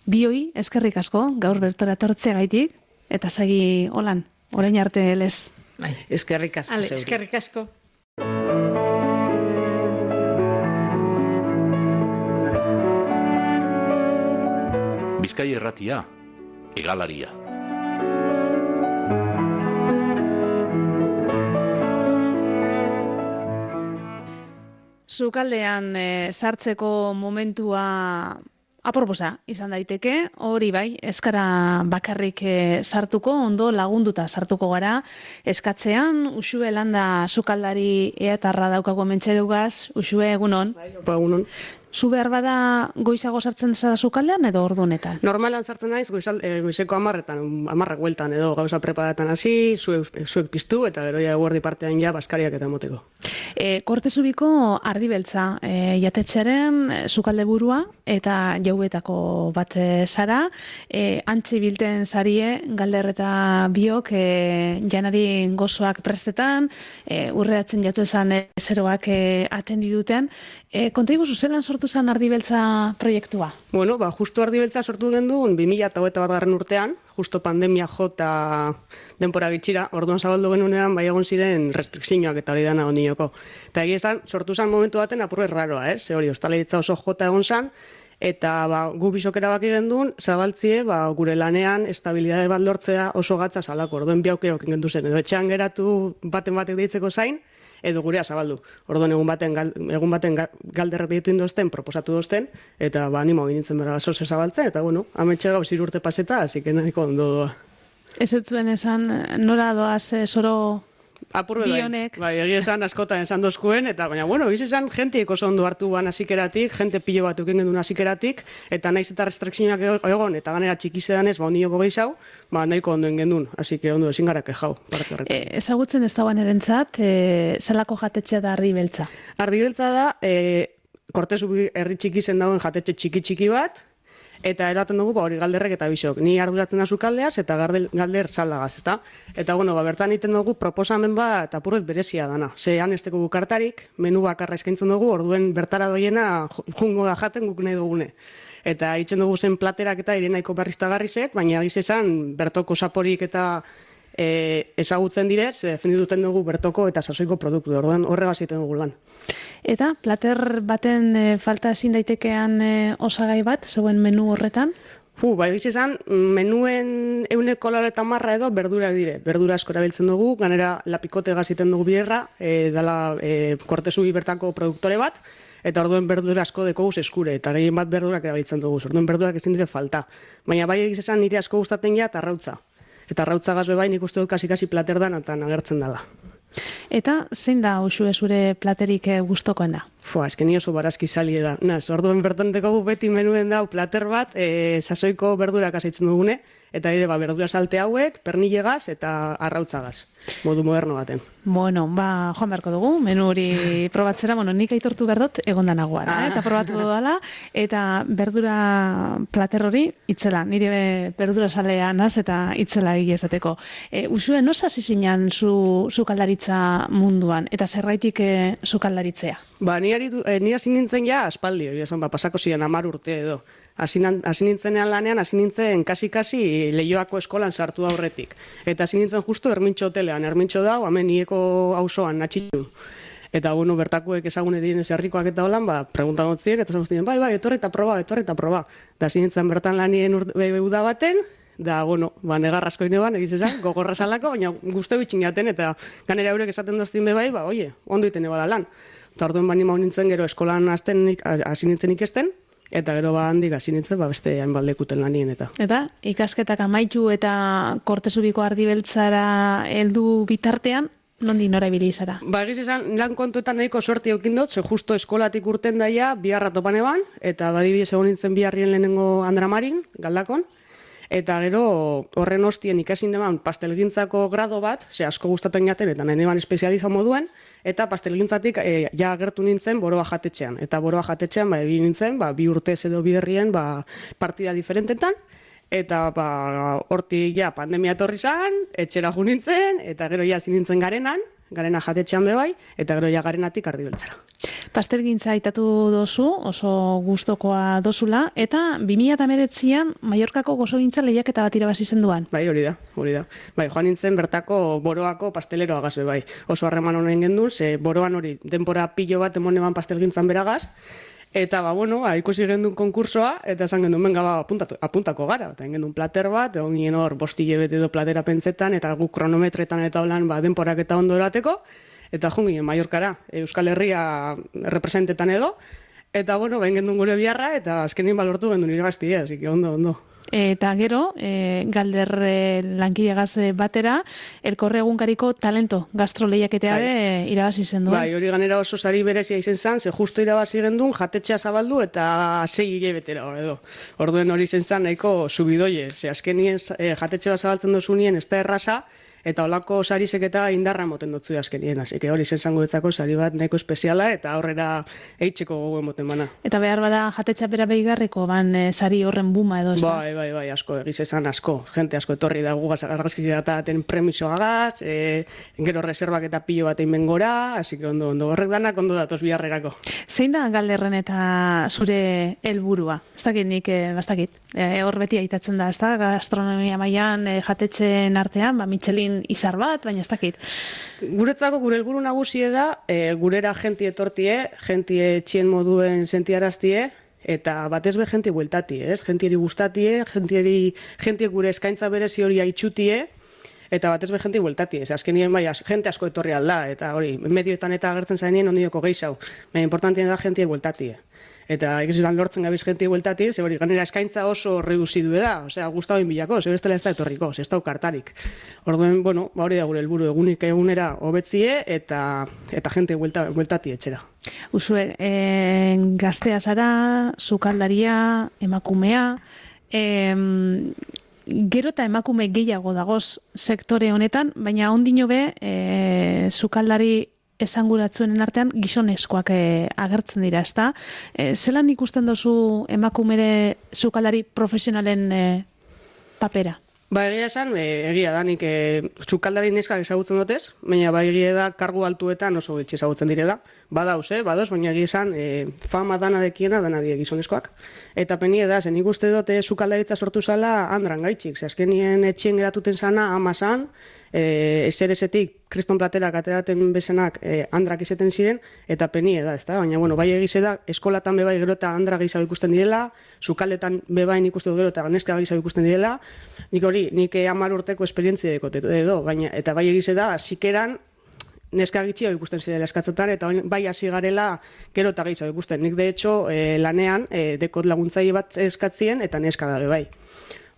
Bioi, eskerrik asko, gaur bertora tortzea gaitik, eta segi holan, orain arte lez. Bai. Eskerrik asko Ale, zeuri. eskerrik asko. Bizkai Irratia, Hegalaria. Sukaldean e, sartzeko momentua aproposa izan daiteke, hori bai, eskara bakarrik e, sartuko, ondo lagunduta sartuko gara, eskatzean, Uxue Landa sukaldari eatarra daukago mentxedugaz, Uxue egunon. Ba, egunon. Zu behar bada goizago sartzen zara sukaldean edo ordu honetan? Normalan sartzen naiz goizal, e, goizeko hamarretan, hamarrak bueltan edo gauza preparatan hasi, zuek, zuek piztu eta gero ja eguerdi partean ja baskariak eta moteko. E, Kortezubiko ardibeltza e, jatetxearen e, sukalde burua eta jauetako bat e, zara, e, antzi bilten zarie galder eta biok e, janari gozoak prestetan, e, urreatzen jatu esan e, zeroak e, atendi duten. E, konta iguzu, zelan sortu zen ardibeltza proiektua? Bueno, ba, justu ardibeltza sortu gendun bi mila hogeita bat garren urtean, justo pandemia jota denpora gitxira, orduan zabaldu genunean bai egon ziren restrikzioak eta hori dana ondioko. Eta egia esan, sortu zen momentu baten apurre raroa, eh? Ze hori, ostalaritza oso jota egon zen, eta ba, gu bisok erabaki gendun, zabaltzie, ba, gure lanean estabilidade bat lortzea oso gatza salako, orduen bi aukerokin gendu zen, edo etxean geratu baten batek deitzeko zain, edo gurea zabaldu. Orduan egun baten, gal, egun baten galderrak ditu indozten, proposatu dozten, eta ba, animo ginitzen bera zoze zabaltzen, eta bueno, ametxe gauz irurte paseta, hasi que nahiko ondo doa. Ez zuen esan, nora doaz e, zoro Apurbe bai, bionek? bai, egia esan askotan esan dozkuen, eta baina, bueno, giz esan, jentiek oso ondo hartu ban hasikeratik, jente pilo bat euken gendun hasikeratik, eta naiz eta restrikzioak egon, eta ganera txikizedan ez, ba, ondioko gehiago, ba, nahiko ondoen gendun, hasi que ondo ezin gara kejau, parte horretan. E, ezagutzen ez dagoen erentzat, e, zelako jatetxea da ardibeltza? Ardibeltza da, e, Kortezubi herri txiki zen dagoen jatetxe txiki-txiki bat, eta eraten dugu ba, hori galderrek eta bisok. Ni arduratzen da sukaldeaz eta galder, galder saldagaz, ezta? Eta bueno, ba, bertan egiten dugu proposamen bat apurret berezia dana. Zean ez teko kartarik, menu bakarra eskaintzen dugu, orduen bertara doiena jungo da jaten guk nahi dugune. Eta hitzen dugu zen platerak eta irenaiko berriztagarrizek, baina giz esan bertoko saporik eta e, ezagutzen direz, defendituten dugu bertoko eta sasoiko produktu, orduan horregaz egiten dugu lan. Eta plater baten e, falta ezin daitekean e, osagai bat, zeuen menu horretan? Fu, bai giz esan, menuen euneko laurogeita hamar edo berdurak dire. Berdura asko erabiltzen dugu, ganera lapikote gaziten dugu bierra, e, dala e, Kortezubi bertako produktore bat, eta orduen berdura asko dekoguz eskure, eta gehien bat berdurak erabiltzen dugu, orduen berdurak ezin dire falta. Baina bai giz esan nire asko gustatzen ja eta arrautza. Eta arrautza gazbe bai nik uste dut kasi-kasi plater dan eta agertzen dela. Eta zein da Uxue zure platerik e, gustokoena? Fua, esken ni oso barazki salie da. Naz, orduen bertan dekogu beti menuen dau plater bat, e, sasoiko berdurak azaitzen dugune, eta ere ba, berdura salte hauek, pernillegaz eta arrautzagaz, modu moderno baten. Bueno, ba, joan beharko dugu, menu hori probatzera, bueno, nik aitortu berdot egondan nagoara, eh? Eta probatu dudala, eta berdura plater hori itzela, nire berdura salea naz eta itzela egia esateko. E, Uxue, noz hasi zinan zu, sukaldaritza munduan, eta zerraitik e, sukaldaritzea? Ba, ni hasi nintzen ja aspaldi, hori esan, ba, pasako ziren hamar urte edo. Hasi nintzenean lanean, hasi nintzen kasi-kasi Leioako eskolan sartu aurretik. Eta hasi nintzen justu Ermintxo hotelean. Ermintxo da, hemen Ieko auzoan natxitu. Eta, bueno, bertakuek ezagune diren herrikoak eta holan, ba, preguntan gotzien, eta zan bai, bai, etorri eta proba, etorri eta proba. Da hasi nintzen bertan lanien uda baten, da, bueno, ba, negar asko ineban, egiz esan, gogorra salako, baina guzteu itxin jaten, eta ganera eurek esaten doztien be bai, ba, oie, ondo iten ebala lan. Eta orduen bani mau nintzen gero eskolan hasi nintzen ikesten, eta gero ba handik hasi nintzen ba beste hainbat lekuten lanien eta. Eta ikasketak amaitu eta Kortezubiko Ardibeltzara heldu bitartean, nondi nora ibili zara? Ba, egiz esan, lan kontuetan nahiko sorti eukin dut, ze justo eskolatik urten daia, biharra topan eban, eta badibidez egon nintzen biharrien lehenengo Andramarin, Galdakon, eta gero horren ostien ikasin deman pastelgintzako grado bat, ze asko gustatzen jaten, eta nahi neban espezializa moduen, eta pastelgintzatik e, ja agertu nintzen Boroa jatetxean. Eta Boroa jatetxean, ba, ebi nintzen, ba, bi urtez edo biherrien, ba, partida diferentetan, eta ba, hortik ja pandemia etorri zan, etxera ju nintzen, eta gero ja nintzen garenan, garena jatetxean bebai, eta gero ja garenatik Ardibeltzara. Pastelgintza aitatu dozu, oso gustokoa dozula, eta bi mila hemeretzian Mallorcako gozogintza lehiaketa bat irabazi zenduan. Bai, hori da, hori da. Bai, joan nintzen bertako Boroako pasteleroa gazbe bai. Oso harreman honen gendun, ze Boroan hori denpora pilo bat emoneban pastelgintzan beragaz, eta, ba, bueno, ba, ikusi gendun konkursoa, eta esan gendun, benga, ba, apuntatu, apuntako gara. Eta gendun plater bat, egon ginen hor, bostile bete edo platera pentsetan, eta guk kronometretan eta holan, ba, denporak eta ondo erateko, eta joan ginen Mallorcara, Euskal Herria representetan edo, eta, bueno, behin gendun gure biharra, eta azkenin balortu gendun irabaztia, así que ondo, ondo. Eta gero, e, Galder e, lankidegaz batera, Elkorre egunkariko talento gastrolehiaketea be irabazi zen duen. Bai, hori ganera oso sari berezia izen zan, ze justo irabazi gendun, jatetxea zabaldu eta sei hilabetera edo. Orduen hori izen zan nahiko subidoie, ze azkenien e, jatetxea zabaltzen dozunien ez da erraza, eta holako sarisek eta indarra moten dutzu azkenien, hasi que hori izen zango etzako sari bat nahiko espeziala eta aurrera eitzeko gogoen moten bana. Eta behar bada jatetxa bera behigarriko, ban e, sari horren buma edo ez da? Bai, bai, bai, asko, egiz esan asko. Gente asko etorri da gugaz argazkizia eta ten premisoagaz, e, gero reservak eta pilo batein bengora, así que ondo, ondo, horrek danak ondo datoz biharrerako. Zein da Galderren eta zure helburua? Ez dakit nik, e, bastakit, e, hor beti aitatzen da, ez da, gastronomia mailan e, jatetxen artean, ba, Michelin izar bat, baina ez dakit. Guretzako gure helburu nagusie da, e, gurera jenti etortie, jenti etxien moduen sentiaraztie, eta batez be jenti bueltatie, ez? Jentieri gustatie, jentieri, jenti gure eskaintza berezi hori aitzutie, eta batez be jenti bueltatie, ez? Azkenien bai, jente asko etorri alda, eta hori, medioetan eta agertzen zainien ondioko gehiago, baina importantien da jenti bueltatie. Eta egizetan lortzen gabiz jenti bueltati, ze hori, ganera eskaintza oso reduzidu da, osea, gustau bilako, ze bestela ez da etorriko, ze ez da ukartarik. Orduen, bueno, ba hori da gure helburu egunik egunera hobetzie eta eta jente buelta, bueltati etxera. Usue, e, gaztea zara, sukaldaria, emakumea, e, gero eta emakume gehiago dagoz sektore honetan, baina ondino be, e, sukaldari esanguratzuen artean gizonezkoak e, agertzen dira, ezta? E, zelan ikusten dozu emakumere sukaldari profesionalen e, papera? Ba, egia esan, e, egia da, nik e, sukaldari neskak ezagutzen dutez, baina ba, egia da, kargu altuetan oso gitxe ezagutzen direla. Badauz, eh, badauz, baina egia esan, e, fama dana dekiena, dana die gizonezkoak. Eta penie da, zen ikuste dute sukaldaritza sortu zala handran gaitxik, ze azkenien etxien geratuten zana, ama zan, e, eseresetik, kriston platerak ateraten bezenak e, handrak izeten ziren, eta penie da, ez da? Baina, bueno, bai egize da, eskolatan bebai gero eta handra gehiago ikusten direla, sukaldetan bebain ikusten du gero eta neska gehiago ikusten direla, nik hori, nik hamar urteko esperientzia dekot edo, baina, eta bai egize da, zikeran, neska gitxio ikusten zidela eskatzetan, eta bai hasi garela gero eta gehiago ikusten. Nik, de hecho, e, lanean, e, dekot laguntzaile bat eskatzien, eta neska dabe bai.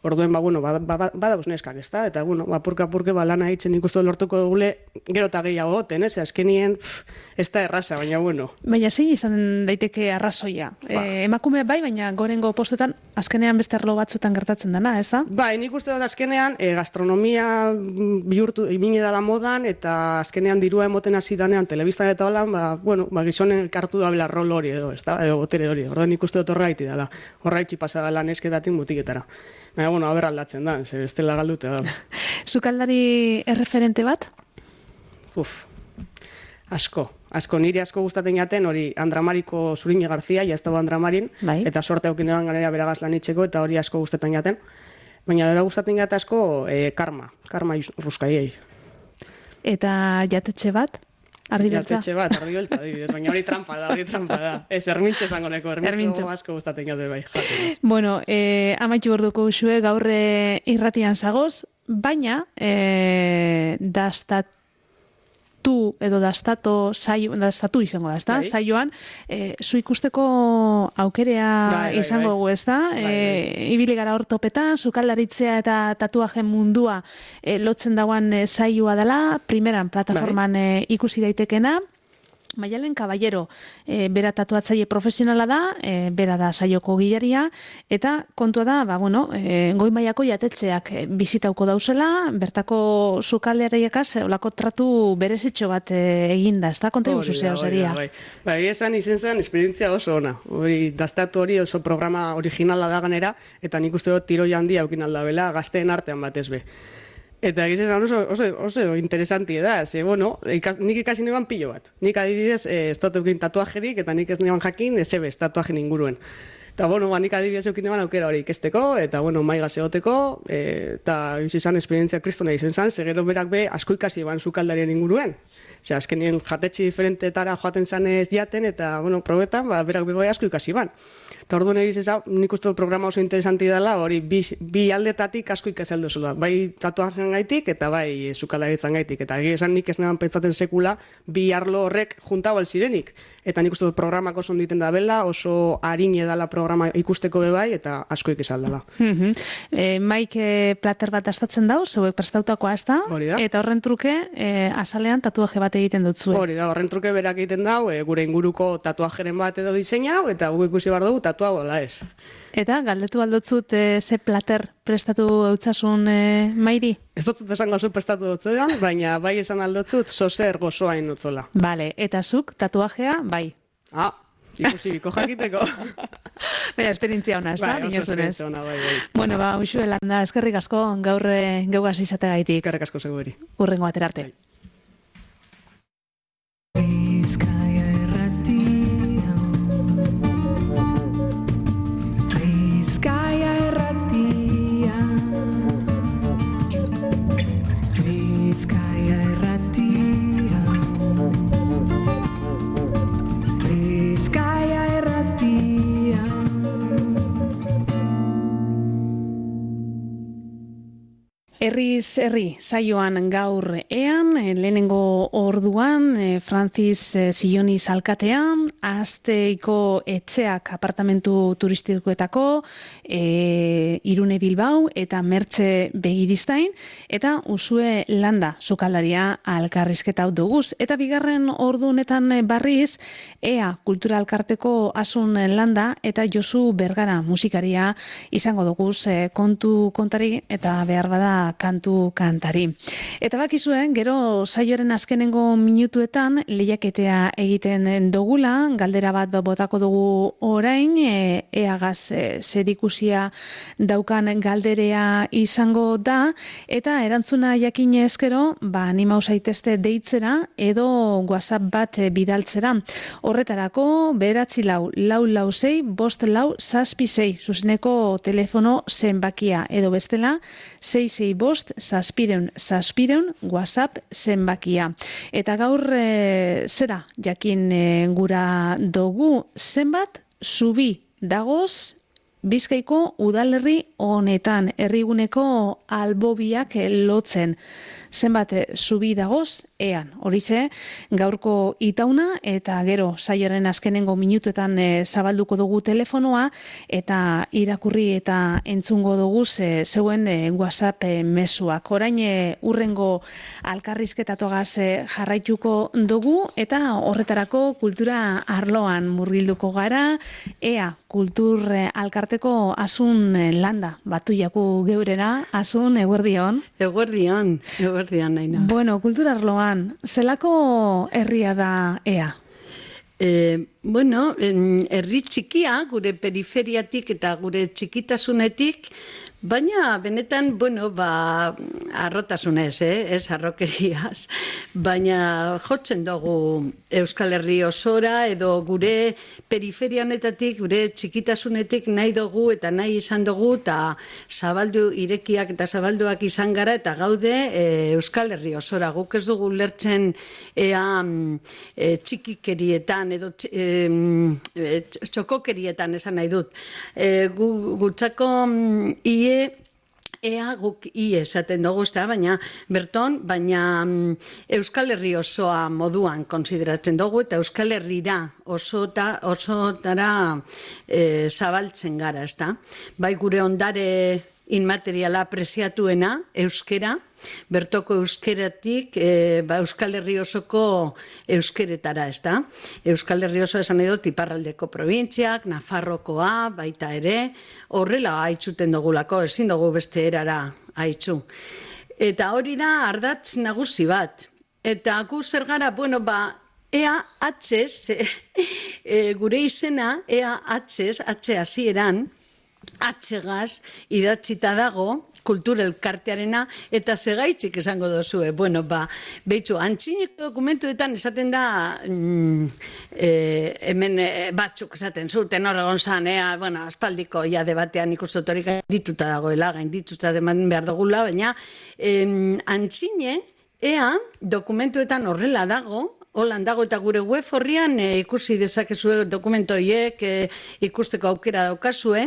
Orduen, ba, bueno, badauz ba, ba, neskak, ez da? Eta, bueno, ba, purka-purke, ba, lana hitzen ikustu lortuko dugule, gero eta gehiago goten, ez? Azkenien, pff, ez da erraza, baina, bueno. Baina zein izan daiteke arrazoia. E, emakume bai, baina gorengo postetan, azkenean beste arlo batzutan gertatzen dena, ez da? Bai, nik uste dut azkenean, e, gastronomia bihurtu, imine dala modan, eta azkenean dirua emoten hasi danean, telebistan eta holan, ba, bueno, ba, gizonen kartu da bela rol hori edo, ez da? Edo botere hori. Orduan nik uste dut horra gaiti dela. Horra itxi pasada lan esketatik mutiketara. Baina, bueno, haber aldatzen da, ze bestela galdute da. Sukaldari erreferente bat? Uf, asko, asko niri asko gustatzen jaten hori Andramariko Zurine Garzia, jaztago Andramarin, bai. eta sorte aukinean ganera beragaz lanitzeko, eta hori asko gustatzen jaten. Baina bera gustatzen jate asko e, karma, karma ruskaiei. Eta jatetxe bat? Ardi beltza? Jatetxe bat, ardi beltza, adibidez, baina hori trampa da, hori trampa da. Ez, ermintxe zango neko, ermintxe asko gustatzen jate bai. Jaten. Bueno, eh, amaitu gorduko usue gaur eh, irratian zagoz, baina eh, dastatu edo dastato saio, dastatu izango da, ezta? Bai. Saioan, eh, zu ikusteko aukerea bai, bai, izango bai. dugu, ezta? Bai, bai. Eh, ibili gara hor topetan, sukaldaritzea eta tatuajen mundua eh, lotzen dagoan eh, saioa dela, primeran plataforman Bai. eh, ikusi daitekena. Maialen Caballero, e, bera tatuatzaile profesionala da, e, bera da saioko gilaria, eta kontua da, ba, bueno, e, goi mailako jatetxeak e, bizitauko dauzela, bertako sukaldeariekaz, olako tratu berezitxo bat e, eginda, ez da? Konta Hori guzu da, zeo hori seria. da, Bai, bai esan izen zen, esperientzia oso ona. Hori, dastatu hori oso programa originala da ganera, eta nik uste dut tiroi handia aukin aldabela, gazteen artean batez be. Eta egiz esan oso, oso, oso interesanti da, ze, bueno, ikas, nik ikasi neban pilo bat. Nik adibidez, eh, ez dut eukin tatuajerik, eta nik ez neban jakin, ez ebez, tatuajen inguruen. Eta, bueno, ba, nik adibidez eukin neban aukera hori ikesteko, eta, bueno, maigaz egoteko, e, eta izan esperientzia kristona izan zan, segero berak be, asko ikasi eban sukaldarien inguruen. Osea, azkenien jatetxe diferentetara joaten zanez jaten, eta, bueno, probetan, ba, berak be bai asko ikasi ban. Eta orduan egiz eza, nik uste programa oso interesanti dela, hori bi, bi aldetatik asko ikaseldu zula. Bai tatuajen gaitik eta bai sukaldaritzan gaitik. Eta egia esan nik ez neban pentsatzen sekula bi arlo horrek juntau alzirenik. Eta nik uste programak oso onditen da bela, oso harine dela programa ikusteko be bai, eta asko ikisaldela. Mm -hmm. e, Maik plater bat dastatzen dau, zeuek prestautakoa ez da, Hori da. eta horren truke e, azalean tatuaje bat egiten dut zuen. Hori da, horren truke berak egiten dau, e, gure inguruko tatuajeren bat edo diseinau, eta gu ikusi behar dugu tatuago da ez. Eta galdetu aldotzut e, ze plater prestatu eutzasun e, Mairi? Ez dut esango zu prestatu dutzean, baina bai esan aldotzut zozer gozoain utzola. Vale, eta zuk tatuajea, bai. Ah, ikusi biko jakiteko. Bera, esperientzia ona, ez da? Bai, oso esperientzia ona, bai, bai. Bueno, ba, Uxue Landa, eskerrik asko gaur e, geugaz izategaitik. Eskerrik asko zegoeri. Urrengo batera arte. Bai. Bizkaia erratia Bizkaia erratia Bizkaia erratia Bizkaia erratia Herriz herri saioan gaur ean, lehenengo orduan Francis Silloniz alkatean, Azteiko etxeak apartamentu turistikoetako, e, Irune Bilbao eta Mertxe Begiristain, eta Usue Landa sukaldaria alkarrizketa hau duguz. Eta bigarren ordu honetan barriz, Ea Kultura Alkarteko Asun Landa eta Josu Bergara musikaria izango duguz e, kontu kontari eta behar bada kantu kantari. Eta bakizuen, gero saioaren azkenengo minutuetan lehiaketea egiten dugula, galdera bat botako dugu orain, e, eagaz e, zerikusia daukan galderea izango da, eta erantzuna jakin ezkero, ba, animau zaitezte deitzera edo WhatsApp bat bidaltzera. Horretarako, beratzi lau, lau lau zei, bost lau, zazpi zei, zuzeneko telefono zenbakia, edo bestela, zei zei bost, zazpireun, zazpireun, WhatsApp zenbakia. Eta gaur, e, zera, jakin e, gura dugu, zenbat, zubi dagoz, Bizkaiko udalerri honetan, herriguneko albobiak lotzen. Zenbat zubi dagoz, ean. Horize, gaurko itauna, eta gero saioaren azkenengo minutuetan e, zabalduko dugu telefonoa, eta irakurri eta entzungo dugu ze, zeuen e, WhatsApp e, mezuak. Orain e, urrengo alkarrizketatogaz e, jarraituko dugu, eta horretarako kultura arloan murgilduko gara, ea kultur e, alkarteko Asun e, Landa, batu jaku geurera, Asun, eguerdion. Eguerdion, eguerdion naina. Bueno, kultura arloan, zelako herria da ea? E, bueno, herri txikia, gure periferiatik eta gure txikitasunetik, Baina, benetan, bueno, ba, arrotasunez, eh? Ez arrokeriaz, baina jotzen dugu Euskal Herri osora edo gure periferianetatik, gure txikitasunetik nahi dugu eta nahi izan dugu eta zabaldu irekiak eta zabalduak izan gara eta gaude e, Euskal Herri osora. Guk ez dugu lertzen ea e, txikikerietan edo e, txokokerietan esan nahi dut. E, gu, gutzako ie ea guk i esaten dugu, ezta, baina berton, baina Euskal Herri osoa moduan konsideratzen dugu eta Euskal Herrira osota, osotara e, zabaltzen gara, ezta. Bai gure ondare inmateriala preziatuena, euskera, bertoko euskeratik e, ba, Euskal Herri osoko euskeretara, ezta. Euskal Herri oso esan edo iparraldeko probintziak, Nafarrokoa, baita ere, horrela haitzuten dugulako, ezin dugu beste erara haitzu. Eta hori da ardatz nagusi bat. Eta gu zer gara, bueno, ba, ea atxez, e, gure izena, ea atxez, atxe hasieran, atxegaz idatzita dago, kultur elkartearena, eta segaitzik esango dozue. Bueno, ba, behitzu, antzineko dokumentuetan esaten da, mm, e, hemen e, batzuk esaten zuten, hor egon zan, ea, bueno, aspaldiko ja debatean ikustotorik gaindituta dagoela, gaindituta deman behar dugula, baina em, antzine, ea, dokumentuetan horrela dago, holan dago eta gure web horrian e, ikusi dezakezue dokumentu horiek e, ikusteko aukera daukazue,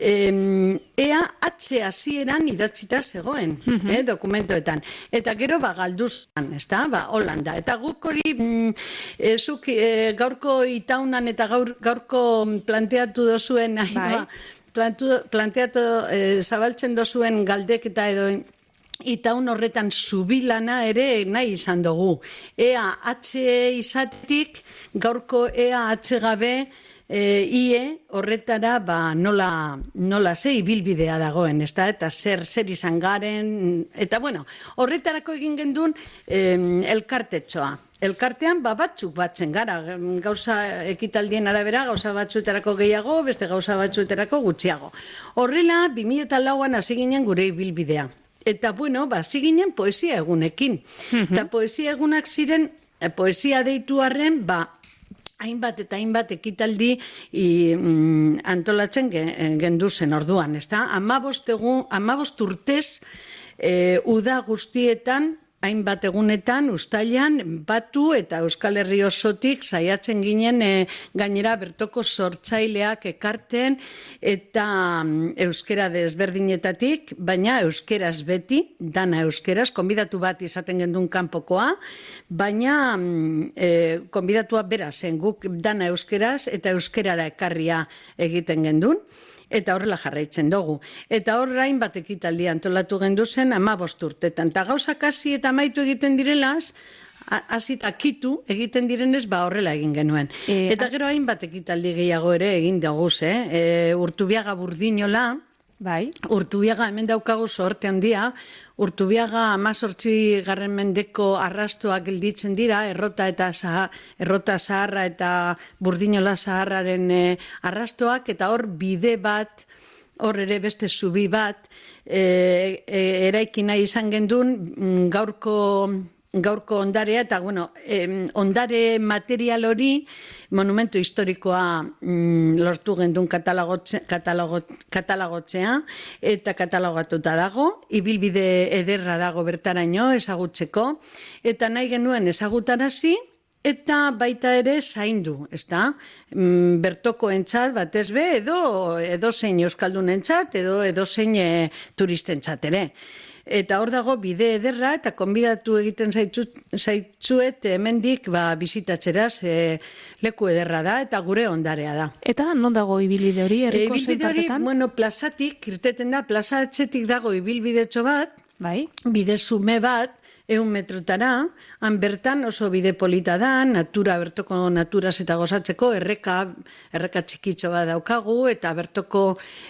ea atxe hasieran idatzita zegoen, uh-huh. eh, dokumentoetan. Eta gero ba galduzan, ezta? Ba, Holanda. Eta guk hori mm, e, zuk e, gaurko itaunan eta gaur, gaurko planteatu dozuen, bai. ba, plantu, planteatu e, zabaltzen dozuen galdeketa edo itaun horretan zubilana ere nahi izan dugu. Ea atxe izatik, gaurko ea atxe gabe, E, ie horretara ba, nola, nola ze ibilbidea dagoen, ezta? Eta zer zer izan garen, eta bueno, horretarako egin gendun eh, elkartetxoa. Elkartean ba, batzuk batzen gara, gauza ekitaldien arabera, gauza batzuetarako gehiago, beste gauza batzuetarako gutxiago. Horrela, bi mila lauan hasi ginen gure ibilbidea. Eta bueno, ba, hasi ginen poesia egunekin. Uh-huh. Eta poesia egunak ziren, poesia deitu arren, ba, hainbat eta hainbat ekitaldi i, mm, antolatzen genduzen orduan, ezta? Hamabost egun, hamabost urtez e, uda guztietan, hainbat egunetan, uztailan, batu eta Euskal Herri osotik saiatzen ginen e, gainera bertoko sortzaileak ekarten eta mm, euskera desberdinetatik, baina euskeraz beti, dana euskeraz, konbidatu bat izaten gendun kanpokoa, baina mm, e, konbidatua bera zen guk dana euskeraz eta euskerara ekarria egiten gendun. Eta horrela jarraitzen dugu. Eta horrain bat ekitaldi antolatu gendu zen hamabost urtetan. Eta gauzak hasi eta amaitu egiten direlaz, hasi eta kitu egiten direnez, ba horrela egin genuen. E, eta gero hainbat ekitaldi gehiago ere egin daguz, eh? E, Urtubiaga Burdinola, bai. Urtubiaga hemen daukagu sorte handia, Urtubiaga hamazortzi garren mendeko arrastoak gelditzen dira, errota eta zaha, errota zaharra eta Burdinola zaharraren e, arrastoak, eta hor bide bat, hor ere beste zubi bat, e, e, eraiki nahi izan gendun gaurko gaurko ondarea, eta bueno, eh, ondare material hori monumentu historikoa mm, lortu gendun katalogotzea, katalogo, katalogotzea eta katalogatuta dago, ibilbide ederra dago bertaraino ezagutzeko, eta nahi genuen ezagutarazi, eta baita ere zaindu, ezta? Mm, bertoko entzat, batez be, edo, edo zein euskaldun entzat, edo, edo zein e, turistentzat ere. Eta hor dago bide ederra eta konbidatu egiten zaitzuet hemendik ba, bizitatzeraz e, leku ederra da eta gure ondarea da. Eta non dago ibilbide hori herriko e, zein partetan? Hori, bueno, plazatik, irteten da, plaza atzetik dago ibilbidetxo bat, bai. Bide zume bat, eun metrotara, han bertan oso bide polita da, natura, bertoko naturaz eta gozatzeko, erreka, erreka txikitxo bat daukagu, eta bertoko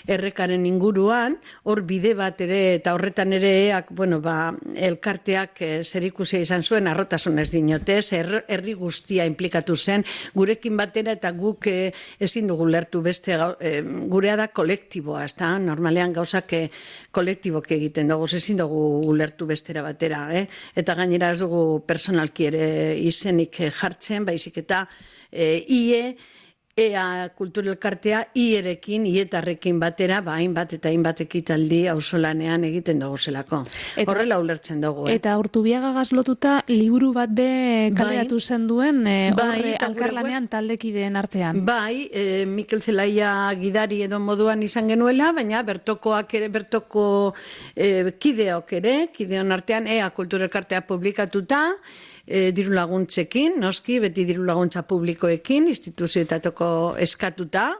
errekaren inguruan, hor bide bat ere, eta horretan ere, eak, bueno, ba, elkarteak eh, zerikusia izan zuen, arrotasunez dinotez, er, herri guztia implikatu zen, gurekin batera eta guk eh, ezin dugu lertu beste, eh, gurea da kolektiboa, ez da? Normalean gauzak eh, kolektibok egiten dugu, ezin dugu ulertu bestera batera, eh? Eta gainera ez dugu personalki ere izenik jartzen, baizik eta e, ie, ea kulturelkartea ierekin, ietarrekin batera, ba, hainbat eta hainbat ekitaldi auzolanean egiten dugu zelako. Horrela ulertzen dugu. Eh? Eta Urtubiagagaz lotuta liburu bat be kaleratu bai, zen duen, eh, bai, horre alkarlanean taldekideen artean. Bai, eh, Mikel Zelaia gidari edo moduan izan genuela, baina bertokoak ere, bertoko eh, kideok ere, kideon artean ea kulturelkartea publikatuta, E, diru laguntzekin, noski, beti diru laguntza publikoekin, instituzioetatoko eskatuta,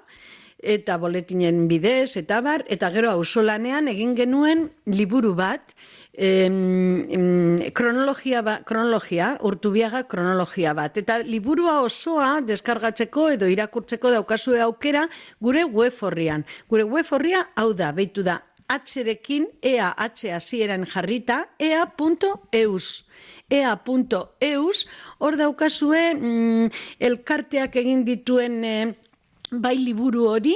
eta boletinen bidez, eta bar, eta gero auzolanean egin genuen liburu bat, em, em, kronologia, ba, kronologia, Urtubiaga kronologia bat. Eta liburua osoa deskargatzeko edo irakurtzeko daukazue aukera gure web horrian. Gure web horria hau da, beitu da, H-rekin, ea, H hasieran jarrita, ea punto eus. ea punto eus, hor daukazue mm, elkarteak egin dituen eh, bai liburu hori,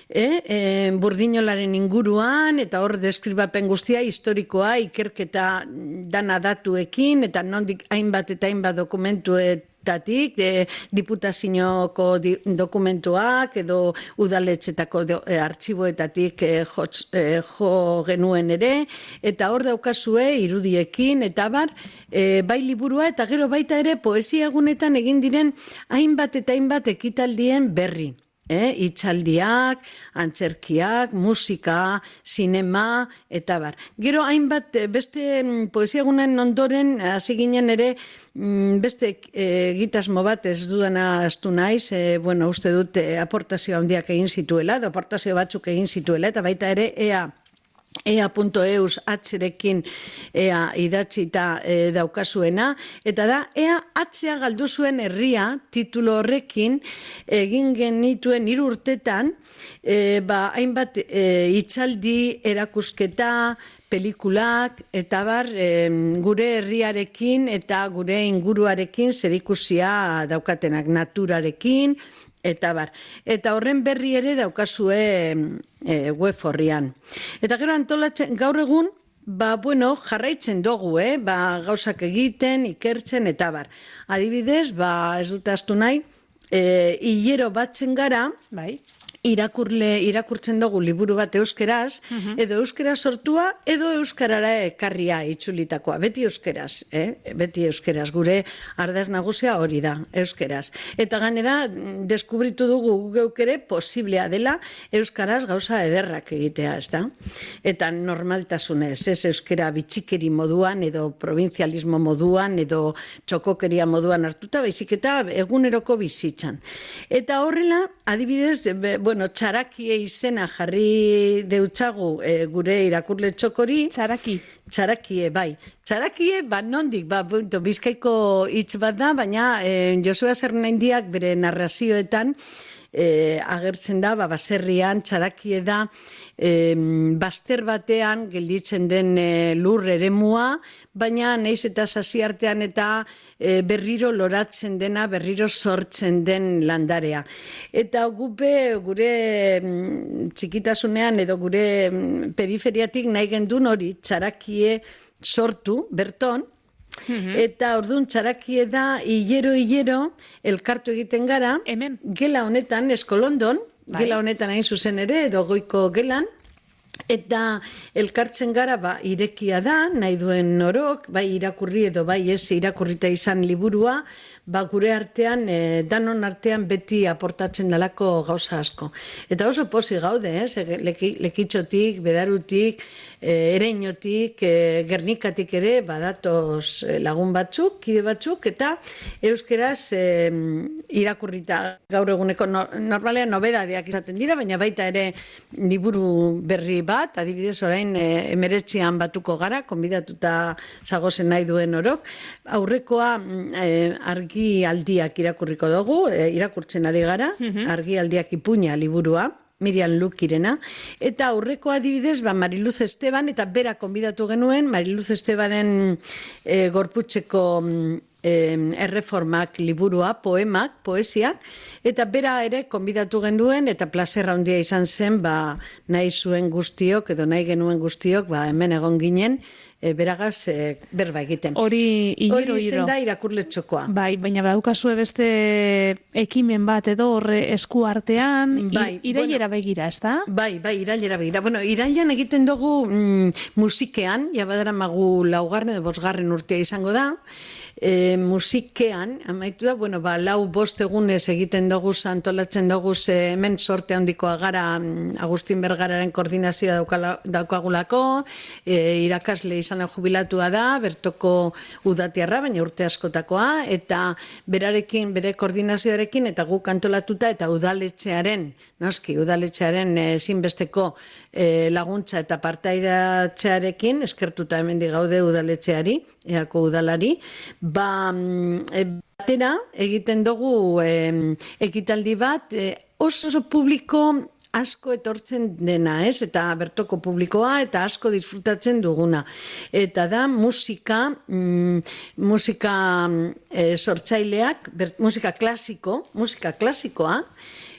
eh, eh, burdinolaren inguruan, eta hor deskribapen guztia historikoa, ikerketa dana datuekin, eta nondik hainbat eta hainbat dokumentuet, tatik, de, diputazioko di, dokumentuak edo udaletxetako de, e, artxiboetatik e, jotz, e, jo genuen ere, eta hor daukazue irudiekin, eta bar, e, bai liburua, eta gero baita ere poesia egunetan egin diren hainbat eta hainbat ekitaldien berri. Eh, itxaldiak, antzerkiak, musika, sinema, eta bar. Gero hainbat, beste poesia egunen ondoren, hasi ginen ere, beste egitasmo bat ez dudana astu naiz, e, bueno, uste dut e, aportazio handiak egin zituela, edo aportazio batzuk egin zituela, eta baita ere, ea, ea punto eus H-rekin ea idatzita e, daukazuena, eta da, ea H-a galdu zuen herria titulo horrekin egin genituen hiru urtetan, e, ba, hainbat e, itzaldi, erakusketa, pelikulak, eta bar, e, gure herriarekin eta gure inguruarekin zerikusia daukatenak, naturarekin, eta bar. Eta horren berri ere daukazue e, web horrian. Eta gero antolatzen, gaur egun, ba, bueno, jarraitzen dugu, eh? Ba, gauzak egiten, ikertzen, eta bar. Adibidez, ba, ez dut astu nahi, e, hilero batzen gara, bai, irakurle, irakurtzen dugu liburu bat euskeraz, uh-huh. edo euskera sortua, edo euskarara ekarria itzulitakoa. Beti euskeraz, eh? Beti euskeraz. Gure ardaz nagusia hori da, euskeraz. Eta gainera, deskubritu dugu geuk ere posiblea dela euskaraz gauza ederrak egitea, ez da? Eta normaltasunez, ez euskera bitxikeri moduan, edo provinzialismo moduan, edo txokokeria moduan hartuta, baizik eta eguneroko bizitzan. Eta horrela, adibidez, be, bueno, txarakie izena jarri deutzagu e, gure irakurle txokori. Txaraki. Txarakie, bai. Txarakie, ba, nondik, ba, punto, bizkaiko hitz bat da, baina e, Josua Zernaindiak bere narrazioetan E, agertzen da, ba, baserrian, txarakie da, e, baster batean gelditzen den e, lur eremua, baina naiz eta sasiartean eta e, berriro loratzen dena, berriro sortzen den landarea. Eta gupe, gure m, txikitasunean edo gure m, periferiatik nahi gendun hori, txarakie sortu, berton, Mm-hmm. Eta orduan txarakie da hilero-hilero elkartu egiten gara. Hemen. Gela honetan, Eskolondon, bai. Gela honetan hain zuzen ere, edo goiko gelan. Eta elkartzen gara, ba, irekia da, nahi duen orok, bai irakurri edo bai ez irakurrita izan liburua, ba gure artean, e, danon artean beti aportatzen dalako gauza asko. Eta oso posi gaude, ez? Leki, lekitxotik, bedarutik, e, ereinotik, e, Gernikatik ere, badatoz lagun batzuk, kide batzuk, eta euskeraz e, irakurrita gaur eguneko no, normalean nobedadeak izaten dira, baina baita ere liburu berri bat, adibidez orain e, emeretzian batuko gara, konbidatuta zagozen nahi duen orok. Aurrekoa e, argi aldiak irakurriko dugu, e, irakurtzen ari gara, mm-hmm. argi aldiak ipuña liburua, Miriam Lukirena, eta aurreko adibidez, ba, Mariluz Esteban, eta bera konbidatu genuen, Mariluz Estebanen e, gorputzeko e, erreformak liburua, poemak, poesiak, eta bera ere konbidatu genuen, eta plazerra handia izan zen, ba, nahi zuen guztiok, edo nahi genuen guztiok, ba, hemen egon ginen, e, beragaz e, berba egiten. Hori hiro, Hori izen da irakurletxokoa. Bai, baina badukazue beste ekimen bat edo horre esku artean, bai, irailera bueno, begira, ez da? Bai, bai, irailera begira. Bueno, irailean egiten dugu mm, musikean, ja badara magu laugarren edo bosgarren urtea izango da, E, musikean, amaitu da, bueno, ba, lau bost egunez egiten dugu, antolatzen dugu, hemen sorte handikoa gara Agustin Bergararen koordinazioa daukala, daukagulako, e, irakasle izan jubilatua da, bertoko udatiarra, baina urte askotakoa, eta berarekin, bere koordinazioarekin, eta guk antolatuta, eta udaletxearen, noski, udaletxearen ezinbesteko e, laguntza eta partaidatxearekin, eskertuta hemen digaude udaletxeari, eako udalari, ba, e, batera egiten dugu e, ekitaldi bat, e, oso oso publiko asko etortzen dena, ez? Eta bertoko publikoa, eta asko disfrutatzen duguna. Eta da musika, mm, musika e, sortzaileak, ber, musika klasiko, musika klasikoa,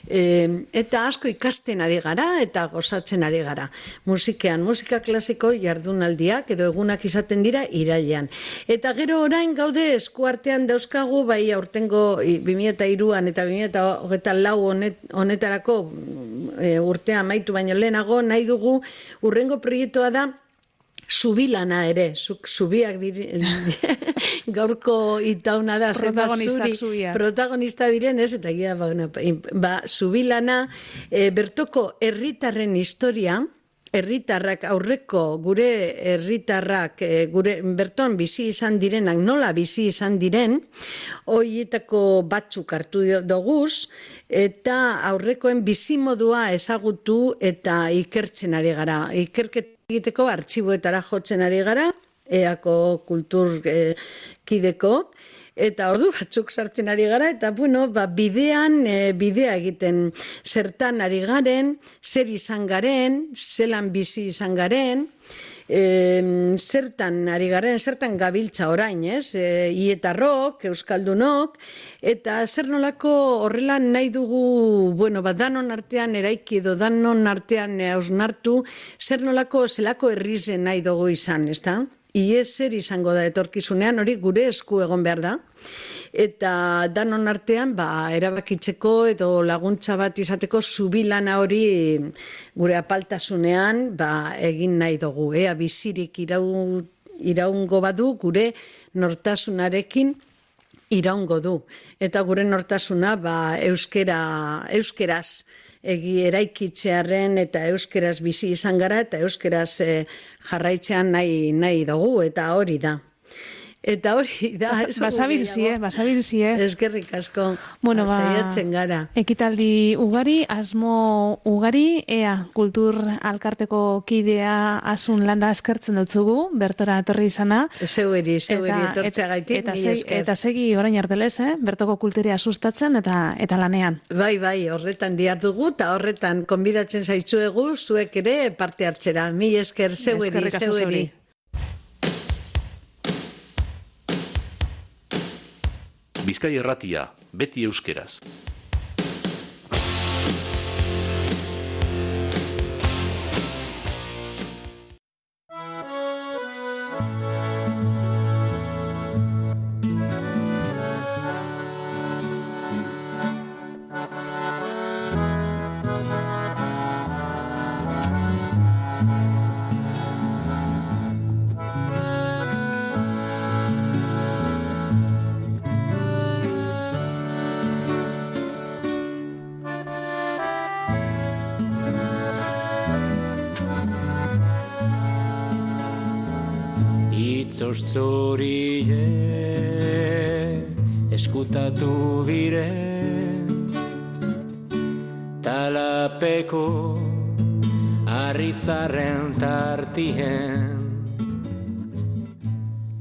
E, eta asko ikasten ari gara eta gozatzen ari gara. Musikean, musika klasiko jardunaldiak edo egunak izaten dira irailean. Eta gero orain gaude eskuartean dauzkagu, bai aurtengo bi mila hiruan eta bi mila hogeita lau honet, honetarako e, urtea amaitu baino lehenago nahi dugu urrengo proiektua da Zubilana ere, zuk zubiak dire, gaurko itauna da, protagonista, zuri, protagonista diren, ez, eta gira, ba, ba, Zubilana, e, bertoko herritarren historia, herritarrak aurreko gure herritarrak e, gure berton bizi izan direnak, nola bizi izan diren, horietako batzuk hartu doguz, eta aurrekoen bizimodua ezagutu eta ikertzen ari gara. Ikerket egiteko artxiboetara jotzen ari gara, eako kultur e, kideko, eta ordu batzuk sartzen ari gara, eta bueno, ba, bidean, e, bidea egiten zertan ari garen, zer izan garen, zelan bizi izan garen, e, zertan ari garen, zertan gabiltza orain, ez? E, ietarrok, euskaldunok, eta zer nolako horrela nahi dugu, bueno, ba, danon artean eraiki edo danon artean hausnartu, zer nolako zelako herrizen nahi dugu izan, ez da? Ie zer izango da etorkizunean, hori gure esku egon behar da. Eta danon artean, ba, erabakitzeko edo laguntza bat izateko zubilana hori gure apaltasunean ba, egin nahi dugu. Ea bizirik irau, iraungo badu gure nortasunarekin iraungo du. Eta gure nortasuna ba, euskera, euskeraz egi eraikitzearen eta euskeraz bizi izan gara eta euskeraz eh, jarraitzean nahi, nahi dugu eta hori da. Eta hori da... Basabilzie, basabilzie. Eskerrik asko, bueno, ba, saiatzen gara. Ekitaldi ugari, asmo ugari, ea kultur alkarteko kidea asun landa eskertzen dutzugu, bertora etorri izana. Zeueri, zeueri etortzea gaitik, eta, eta, segi, eta segi orain artelez, eh? Bertoko kulturia sustatzen eta eta lanean. Bai, bai, horretan diardugu, eta horretan konbidatzen zaitzuegu, zuek ere parte hartzera. Mi esker, zeueri, zeueri. Bizkai Irratia, beti euskeraz. Zortzorie eskutatu bire talapeko arrizarren tartien.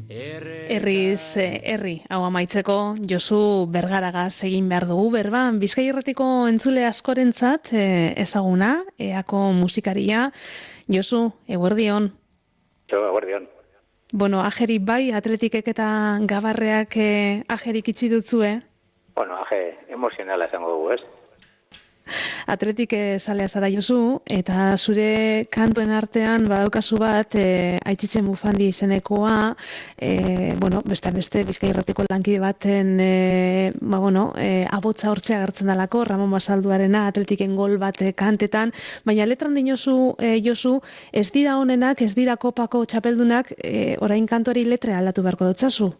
Herriz, herri, hau amaitzeko, Josu Bergaragaz egin behar dugu, berban, Bizkai Irratiko entzule askorentzat ezaguna, eako musikaria. Josu, eguerdion. Jo, eguerdion. Bueno, ajeri bai, atletikek eta gabarreak eh, ajerik itxi dutzue? Bueno, aje emozionala esango dugu, ez? Atletik salea zara Josu, eta zure kantuen artean badaukazu bat, e, Aitzitzen Bufandi izenekoa, e, bueno, beste beste Bizkai Irratiko lankide baten, e, ba, bueno, e, abotza hortzea agertzen dalako, Ramon Basalduarena, atletiken gol bat e, kantetan, baina letran dinozu, e, Josu, ez dira honenak, ez dira kopako txapeldunak, e, orain kantuari letra aldatu beharko dutzazu?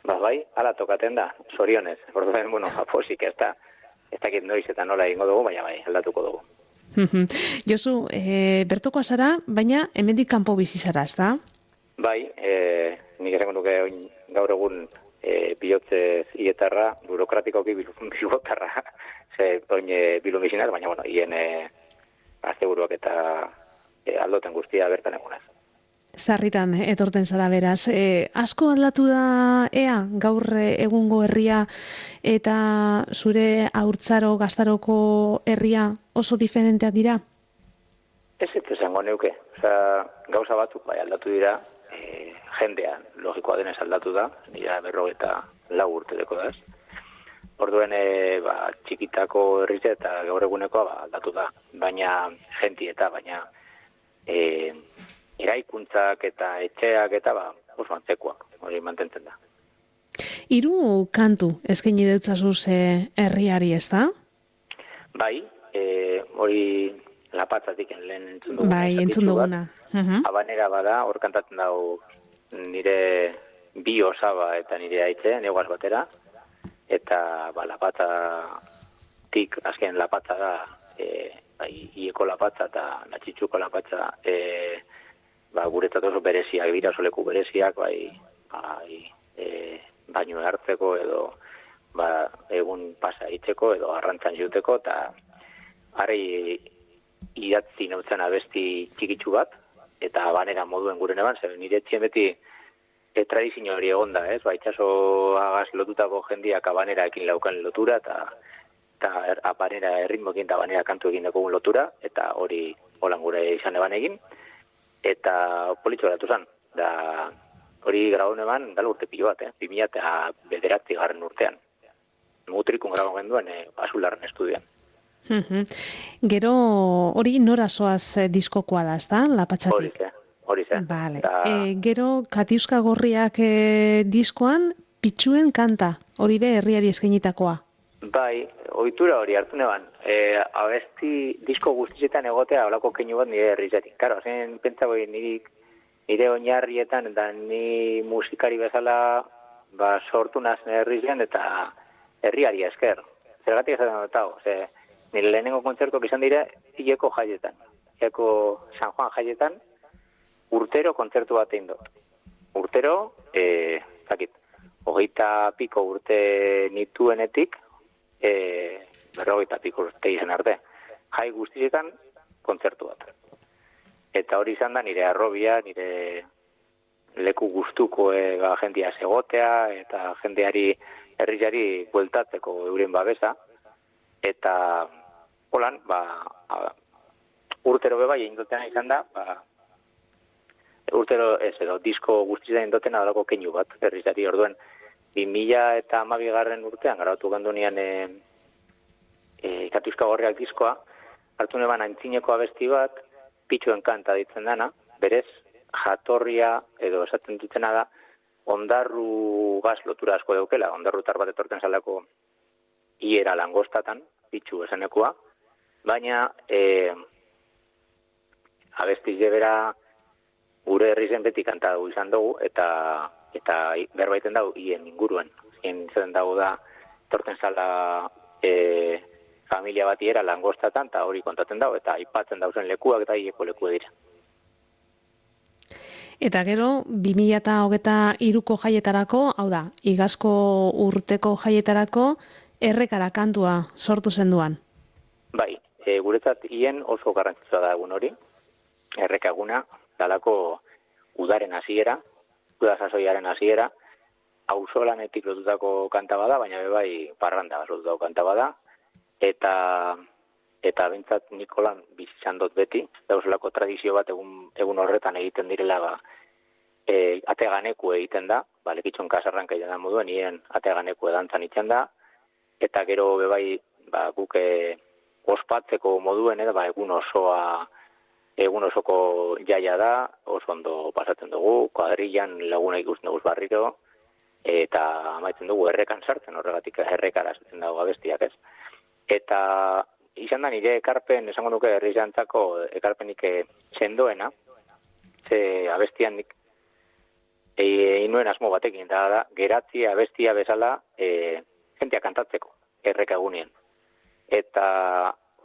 Ba, bai, ala tokaten da, zorionez, orduen, bueno, aposik ez da. Ez dakit noiz eta nola egingo dugu, baina bai, aldatuko dugu. Josu, e, bertokoa zara, baina hemendik kanpo bizi zara, ez da? Bai, e, nik esango nuke oin, gaur egun e, bihotzez ietarra, burokratikoki bilotarra, ze oin e, bilumizinaz, baina bueno, hien e, azte buruak eta e, aldoten guztia bertan egunaz. Zarritan etorten zara beraz. E, asko aldatu da ea gaur egungo herria eta zure haurtzaro gaztaroko herria oso diferenteak dira? Ez ez esango neuke. Osa, gauza batzuk bai aldatu dira, e, jendean logikoa denez aldatu da, nira berro eta lau urtedeko da. Orduen e, ba, txikitako herrize eta gaur egunekoa ba, aldatu da, baina jenti eta baina e, eraikuntzak eta etxeak eta ba, oso antzekoak, hori mantentzen da. Hiru kantu eskaini deutzazuz herriari, ez da? Bai, e, hori lapatzatik lehen entzun duguna. Bai, entzun duguna. Uh-huh. Habanera bada, hor kantatzen dago nire bi osaba eta nire aitze, neguaz batera, eta ba, lapatzatik, azken lapatza da, e, bai, ieko lapatza eta natxitzuko lapatza, e, ba, guretzat oso bereziak dira, oso leku bereziak, bai, bai e, baino hartzeko edo ba, egun pasa itzeko edo arrantzan juteko, eta harri idatzi nautzen abesti txikitsu bat, eta banera moduen guren eban, zer nire etxien beti e, tradizio hori egonda, ez? Ba, itxaso agaz lotutako jendiak abaneraekin laukan lotura, eta eta abanera erritmoekin eta abanera kantu egin dakogun lotura, eta hori holan gure izan eban egin, eta politxo eratu zen, da hori graun eban dala urte pilo bat, eh? bi mila eta bederatzi garren urtean. Mutrikun grabau genduen eh, Azularren estudian. Gero hori nora soaz eh, diskokoa da, ez da, lapatxatik? Hori ze, hori ze. Vale. Da... E, gero Katiuska Gorriak eh, diskoan Pitxuen kanta, hori be herriari eskainitakoa. Bai, ohitura hori hartu neban, e, abesti disko guztietan egotea holako keinu bat nire herrizatik. Karo, zen pentsagoi nire, nire oinarrietan eta ni musikari bezala ba, sortu nazen herrizen eta herriari esker. Zergatik esaten dutago, ze nire lehenengo kontzertuak izan dira hileko jaietan. Hileko San Juan jaietan urtero kontzertu bat egin dut. Urtero, e, zakit, hogeita piko urte nituenetik, E, berrogeita piko urte izan arte. Jai guztietan kontzertu bat. Eta hori izan da nire arrobia, nire leku gustuko e, ba, jendia segotea, eta jendeari herriari bueltatzeko euren babesa. Eta holan, ba, a, urtero beba egin dutena izan da, ba, urtero ez edo, disko guztietan egin dutena dalako keinu bat, herriari orduen. bi mila eta hamabigarren urtean garatu gandunean e, e, Katiuska Gorriak diskoa, hartu neban antzineko abesti bat, Pitxuen kanta ditzen dana, berez jatorria edo esaten dutena da, ondarru gaz lotura asko daukela, ondarrutar bat etorten zalako hiera langostatan, Pitxu esanekoa, baina e, abesti jebera gure herri zen beti kanta dugu izan dugu, eta eta berbaiten dago hien inguruan. Hien zen dago da, torten zala e, familia batiera langostatan, eta hori kontatzen dago, eta aipatzen dauzen lekuak eta hieko leku dira. Eta gero, bi mila hogeita hiruko jaietarako, hau da, igazko urteko jaietarako, errekara kantua sortu zenduan. Bai, e, guretzat hien oso garrantzitsua da egun hori, errekaguna, dalako udaren hasiera, uda sasoiaren hasiera, auzolanetik lotutako kanta bada, baina bebai parranda lotutako kanta bada, eta eta bentsat Nikolan bizitzan dut beti, dauzelako tradizio bat egun, egun horretan egiten direla ba, e, ateganeku egiten da, ba, lekitxon kasarranka egiten da moduen, nien ateganeku edantzan itzen da, eta gero bebai ba, guk e, ospatzeko moduen, edo, ba, egun osoa, egun osoko jaia da, oso ondo pasatzen dugu, kuadrillan laguna ikusten dugu barriro, eta amaitzen dugu errekan sartzen, horregatik errekara sartzen dago abestiak ez. Eta izan da nire ekarpen, esango nuke herrijantzako ekarpenik sendoena, ze abestian nik inuen asmo batekin, da, da geratzi abestia bezala e, jentia kantatzeko, errekagunien. Eta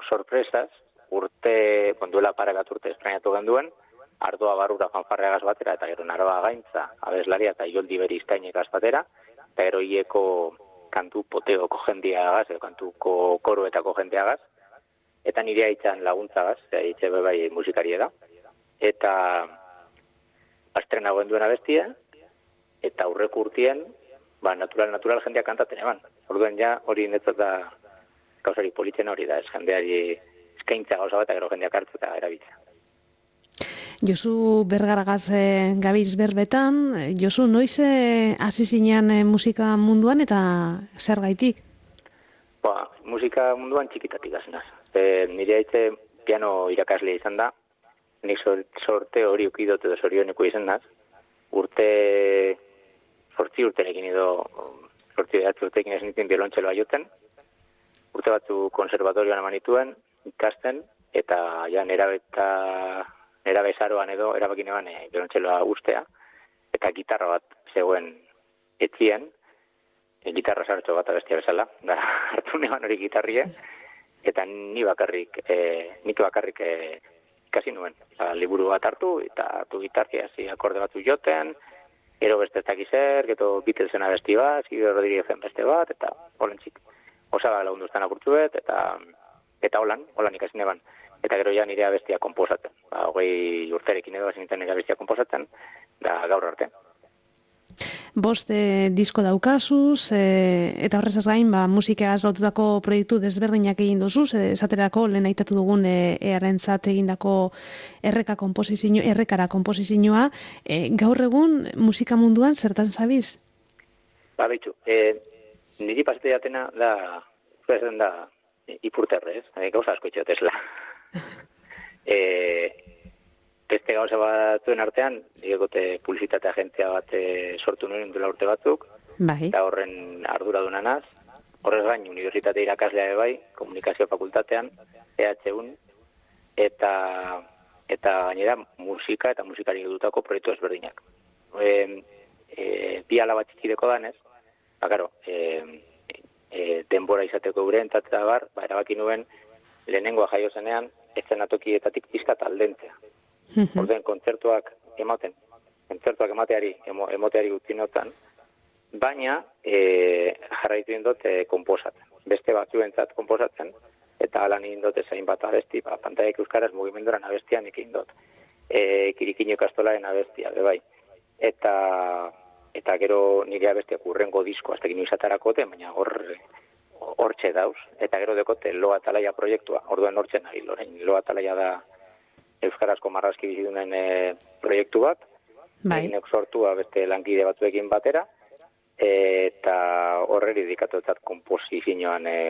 sorpresaz, urte, konduela paregat urte esprainatu genduen, Ardoa Barrura fanfarreagaz batera, eta gero Naroa Gaintza, abeslaria eta Ioldi Beriztainekaz batera, eta gero hieko kantu poteoko jendiagaz, edo kantuko koroetako jendiagaz, eta nire haitzan laguntzagaz, haitxe bebai musikaria da, eta astrenagoen duen abestia, eta aurreko urtien, ba, natural-natural jendeak kantaten eban. Orduen ja, hori netzat da, gauzari politzen hori da, ez jendeari eskaintza gauza bat, gero jendeak hartu eta erabiltza. Josu Bergaragaz e, gabiz berbetan, Josu, noiz e, hasi zinean e, musika munduan eta zer gaitik? Ba, musika munduan txikitatik azenaz. E, nire haitze piano irakaslea izan da, nik sorte hori ukidot edo zorioneko izan naz, urte, sortzi urtenekin edo, sortzi urtekin ez nintzen biolontxeloa joten, urte batzu konservatorioan emanituen, ikasten, eta ja nera beta Era bezaroan edo, erabakin eban e, biolontxeloa ustea, eta gitarra bat zegoen etzien, e, gitarra sartxo bat abestia bezala, da hartu neban hori gitarrie, eta ni bakarrik, e, nik bakarrik e, ikasi nuen. Eta, liburu bat hartu, eta hartu gitarria hasi akorde batzu joten, ero beste ez dakizer, geto Beatlesen abesti bat, Silvio Rodríguezen beste bat, eta holan txik. Osaba lagunduztan apurtzuet, eta eta holan, holan ikasi neban. Eta gero ja nire abestia komposatzen. Ba, hogei urterekin edo hasin nire abestia komposatzen, da gaur arte. Bost e, disko daukazuz, e, eta horrezaz gain, ba, musikagaz lotutako proiektu desberdinak egin duzuz, e, esaterako lehen aitatu dugun e, earentzat egindako erreka komposizio, errekara komposizioa. E, gaur egun musika munduan zertan zabiz? Ba, behitxu, e, niri pasete jatena da, zuezen da, ipurterrez, e, gauza asko itxotezla. e, beste gauza batzuen artean, digekote publizitate agentzia bat e, sortu nuen dela urte batzuk, bai. Eta horren arduradunanaz, horrez gain, unibertsitate irakaslea bai, komunikazio fakultatean, E H U, eta, eta gainera musika eta musikari dutako proiektu ezberdinak. E, e, bi alaba txikideko danez, ba, karo, e, e, denbora izateko gure entzatza bar, ba, erabaki nuen, lehenengoa jaio zenean, eszenatokietatik pizkat aldentzea. Mm-hmm. Orden, kontzertuak ematen, kontzertuak emateari, emo, emoteari utzi notan, baina e, jarraitu indot e, komposatzen. Beste batzuentzat komposatzen, eta alan indot ezain bat abesti, ba, pantaiak euskaraz mugimenduran abestian ekin dut. E, kirikino ikastolaren abestia, bebai. Eta, eta gero nire abestiak urrengo disko, aztekin izatarako, baina hor... hortxe dauz, eta gero dekote Loa Talaia proiektua, orduen hortzen ari, lorein, Loa Talaia da euskarazko marrazki bizidunen e, proiektu bat, bai. Eginek sortua beste lankide batzuekin batera, e, eta horreri dikatuetzat komposizioan e,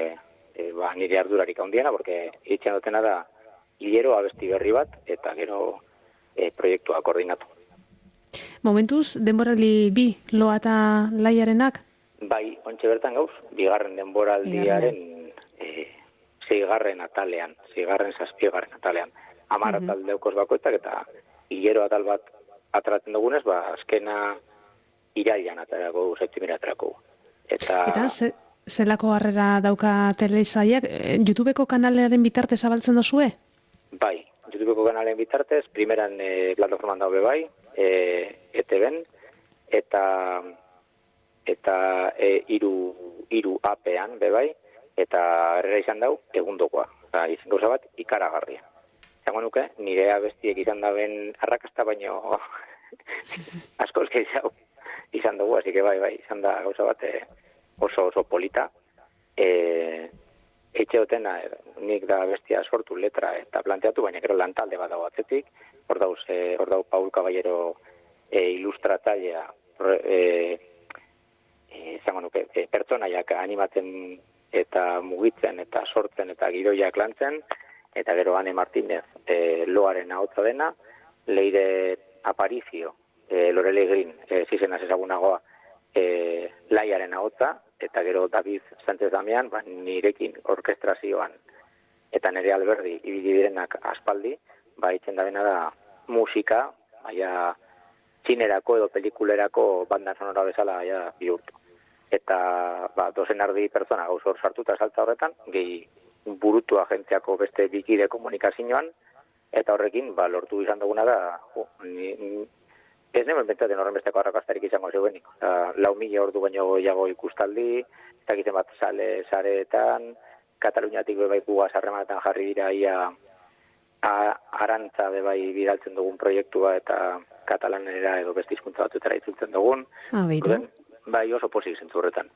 e, ba, nire ardurarik handiena, porque itxen dutena da hilero abesti berri bat, eta gero e, proiektua koordinatu. Momentuz, denborali bi Loa Talaiarenak? Bai, ontxe bertan gauz, bigarren denboraldiaren e, zeigarren atalean, zeigarren zazpiegarren atalean. Amar uh-huh. atal deukoz bakoetak eta hilero atal bat atratzen dugunez, ba, azkena irailan atarako dugu, septimira atarako dugu. Eta, eta ze, zelako harrera dauka telesaiak, YouTubeko kanalearen bitartez zabaltzen dozue? Bai, YouTubeko kanalean bitartez, primeran e, plataforman daube bai, e, E T B-en, eta eta e, iru, iru apean, bebai, eta herrera izan dau, egundokoa. Eta izan gauza bat, ikaragarria. Zango nuke, nire abestiek izan daben arrakasta baino askoz gehiago izan dugu, así que bai, bai, izan da gauza bat e, oso oso polita. E, etxe hotena, nik da bestia sortu letra eta planteatu, baina gero lantalde bat dago atzetik, hor dauz, e, hor dau Paul Caballero e, ilustratzailea, e, izango nuke, e, pertsonaiak animatzen eta mugitzen eta sortzen eta gidoiak lantzen, eta gero Ane Martínez e, loaren ahotsa dena, Leire Aparicio, e, Lorele Green, e, zizenaz ezagunagoa, e, laiaren ahotsa, eta gero David Sánchez Damian, ba, nirekin orkestrazioan, eta nire Alberdi ibili direnak aspaldi, ba, itzen da bena da musika, baina txinerako edo pelikulerako banda sonora bezala ja, bihurtu. Eta ba, dozen ardi pertsona gauz hor sartuta saltza horretan, gehi burutu agentziako beste bikide komunikazioan, eta horrekin ba, lortu izan duguna da, jo, ni, ni, ez nemen bentsaten horren besteko arrakastarik izango zeuenik. Lau mila ordu baino goiago ikustaldi, eta egiten bat sale sareetan, Kataluniatik bebai gugaz harremanetan jarri dira ia a, arantza bebai bidaltzen dugun proiektua eta katalanera edo beste hizkuntza batzutara itzultzen dugun. Ah, beitu. Bai, oso pozik zentzu horretan.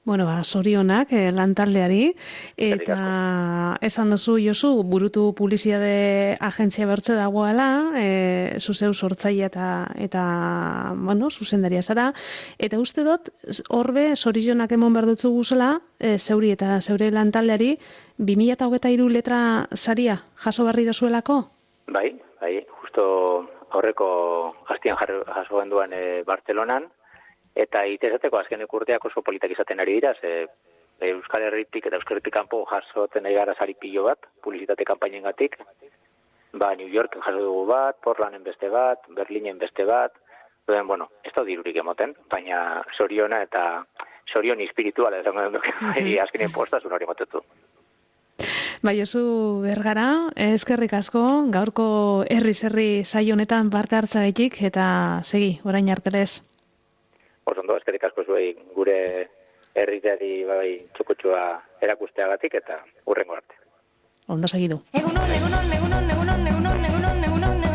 Bueno, ba, sorionak eh, lantaldeari, eta esan duzu, Josu, burutu publizitate agentzia bertze dagoela, eh, zuzeu sortzaile eta, eta bueno, zuzendaria zara, eta uste dut, horbe, sorionak emon behar dutzu guzela, eh, zeuri eta zeure lantaldeari, bi mila hogeita hiru letra saria jaso barri dozuelako? Bai, bai, justo aurreko hastian jaso genduan e, Bartzelonan, eta itezateko azkenek urteak oso politak izaten ari dira, ze Euskal Herritik eta Euskal Herritik kanpo jasoten ari gara sari pilo bat, publizitate kanpainengatik, ba New Yorken jaso dugu bat, Portlanden beste bat, Berlinen beste bat, duen, bueno, ez da dirurik emoten, baina soriona eta sorion espirituala esango dut, bai, azkenen postasun hori motetu. Bai, Josu Bergara, eskerrik asko, gaurko herri-zerri saio honetan parte hartzagaitik, eta segi, orain artelez. Osondo, eskerrik asko zuei gure herriari bai txokotsua erakusteagatik eta hurrengo arte. Ondo segidu. Egunon, egunon, egunon, egunon, egunon, egunon, egunon, egunon,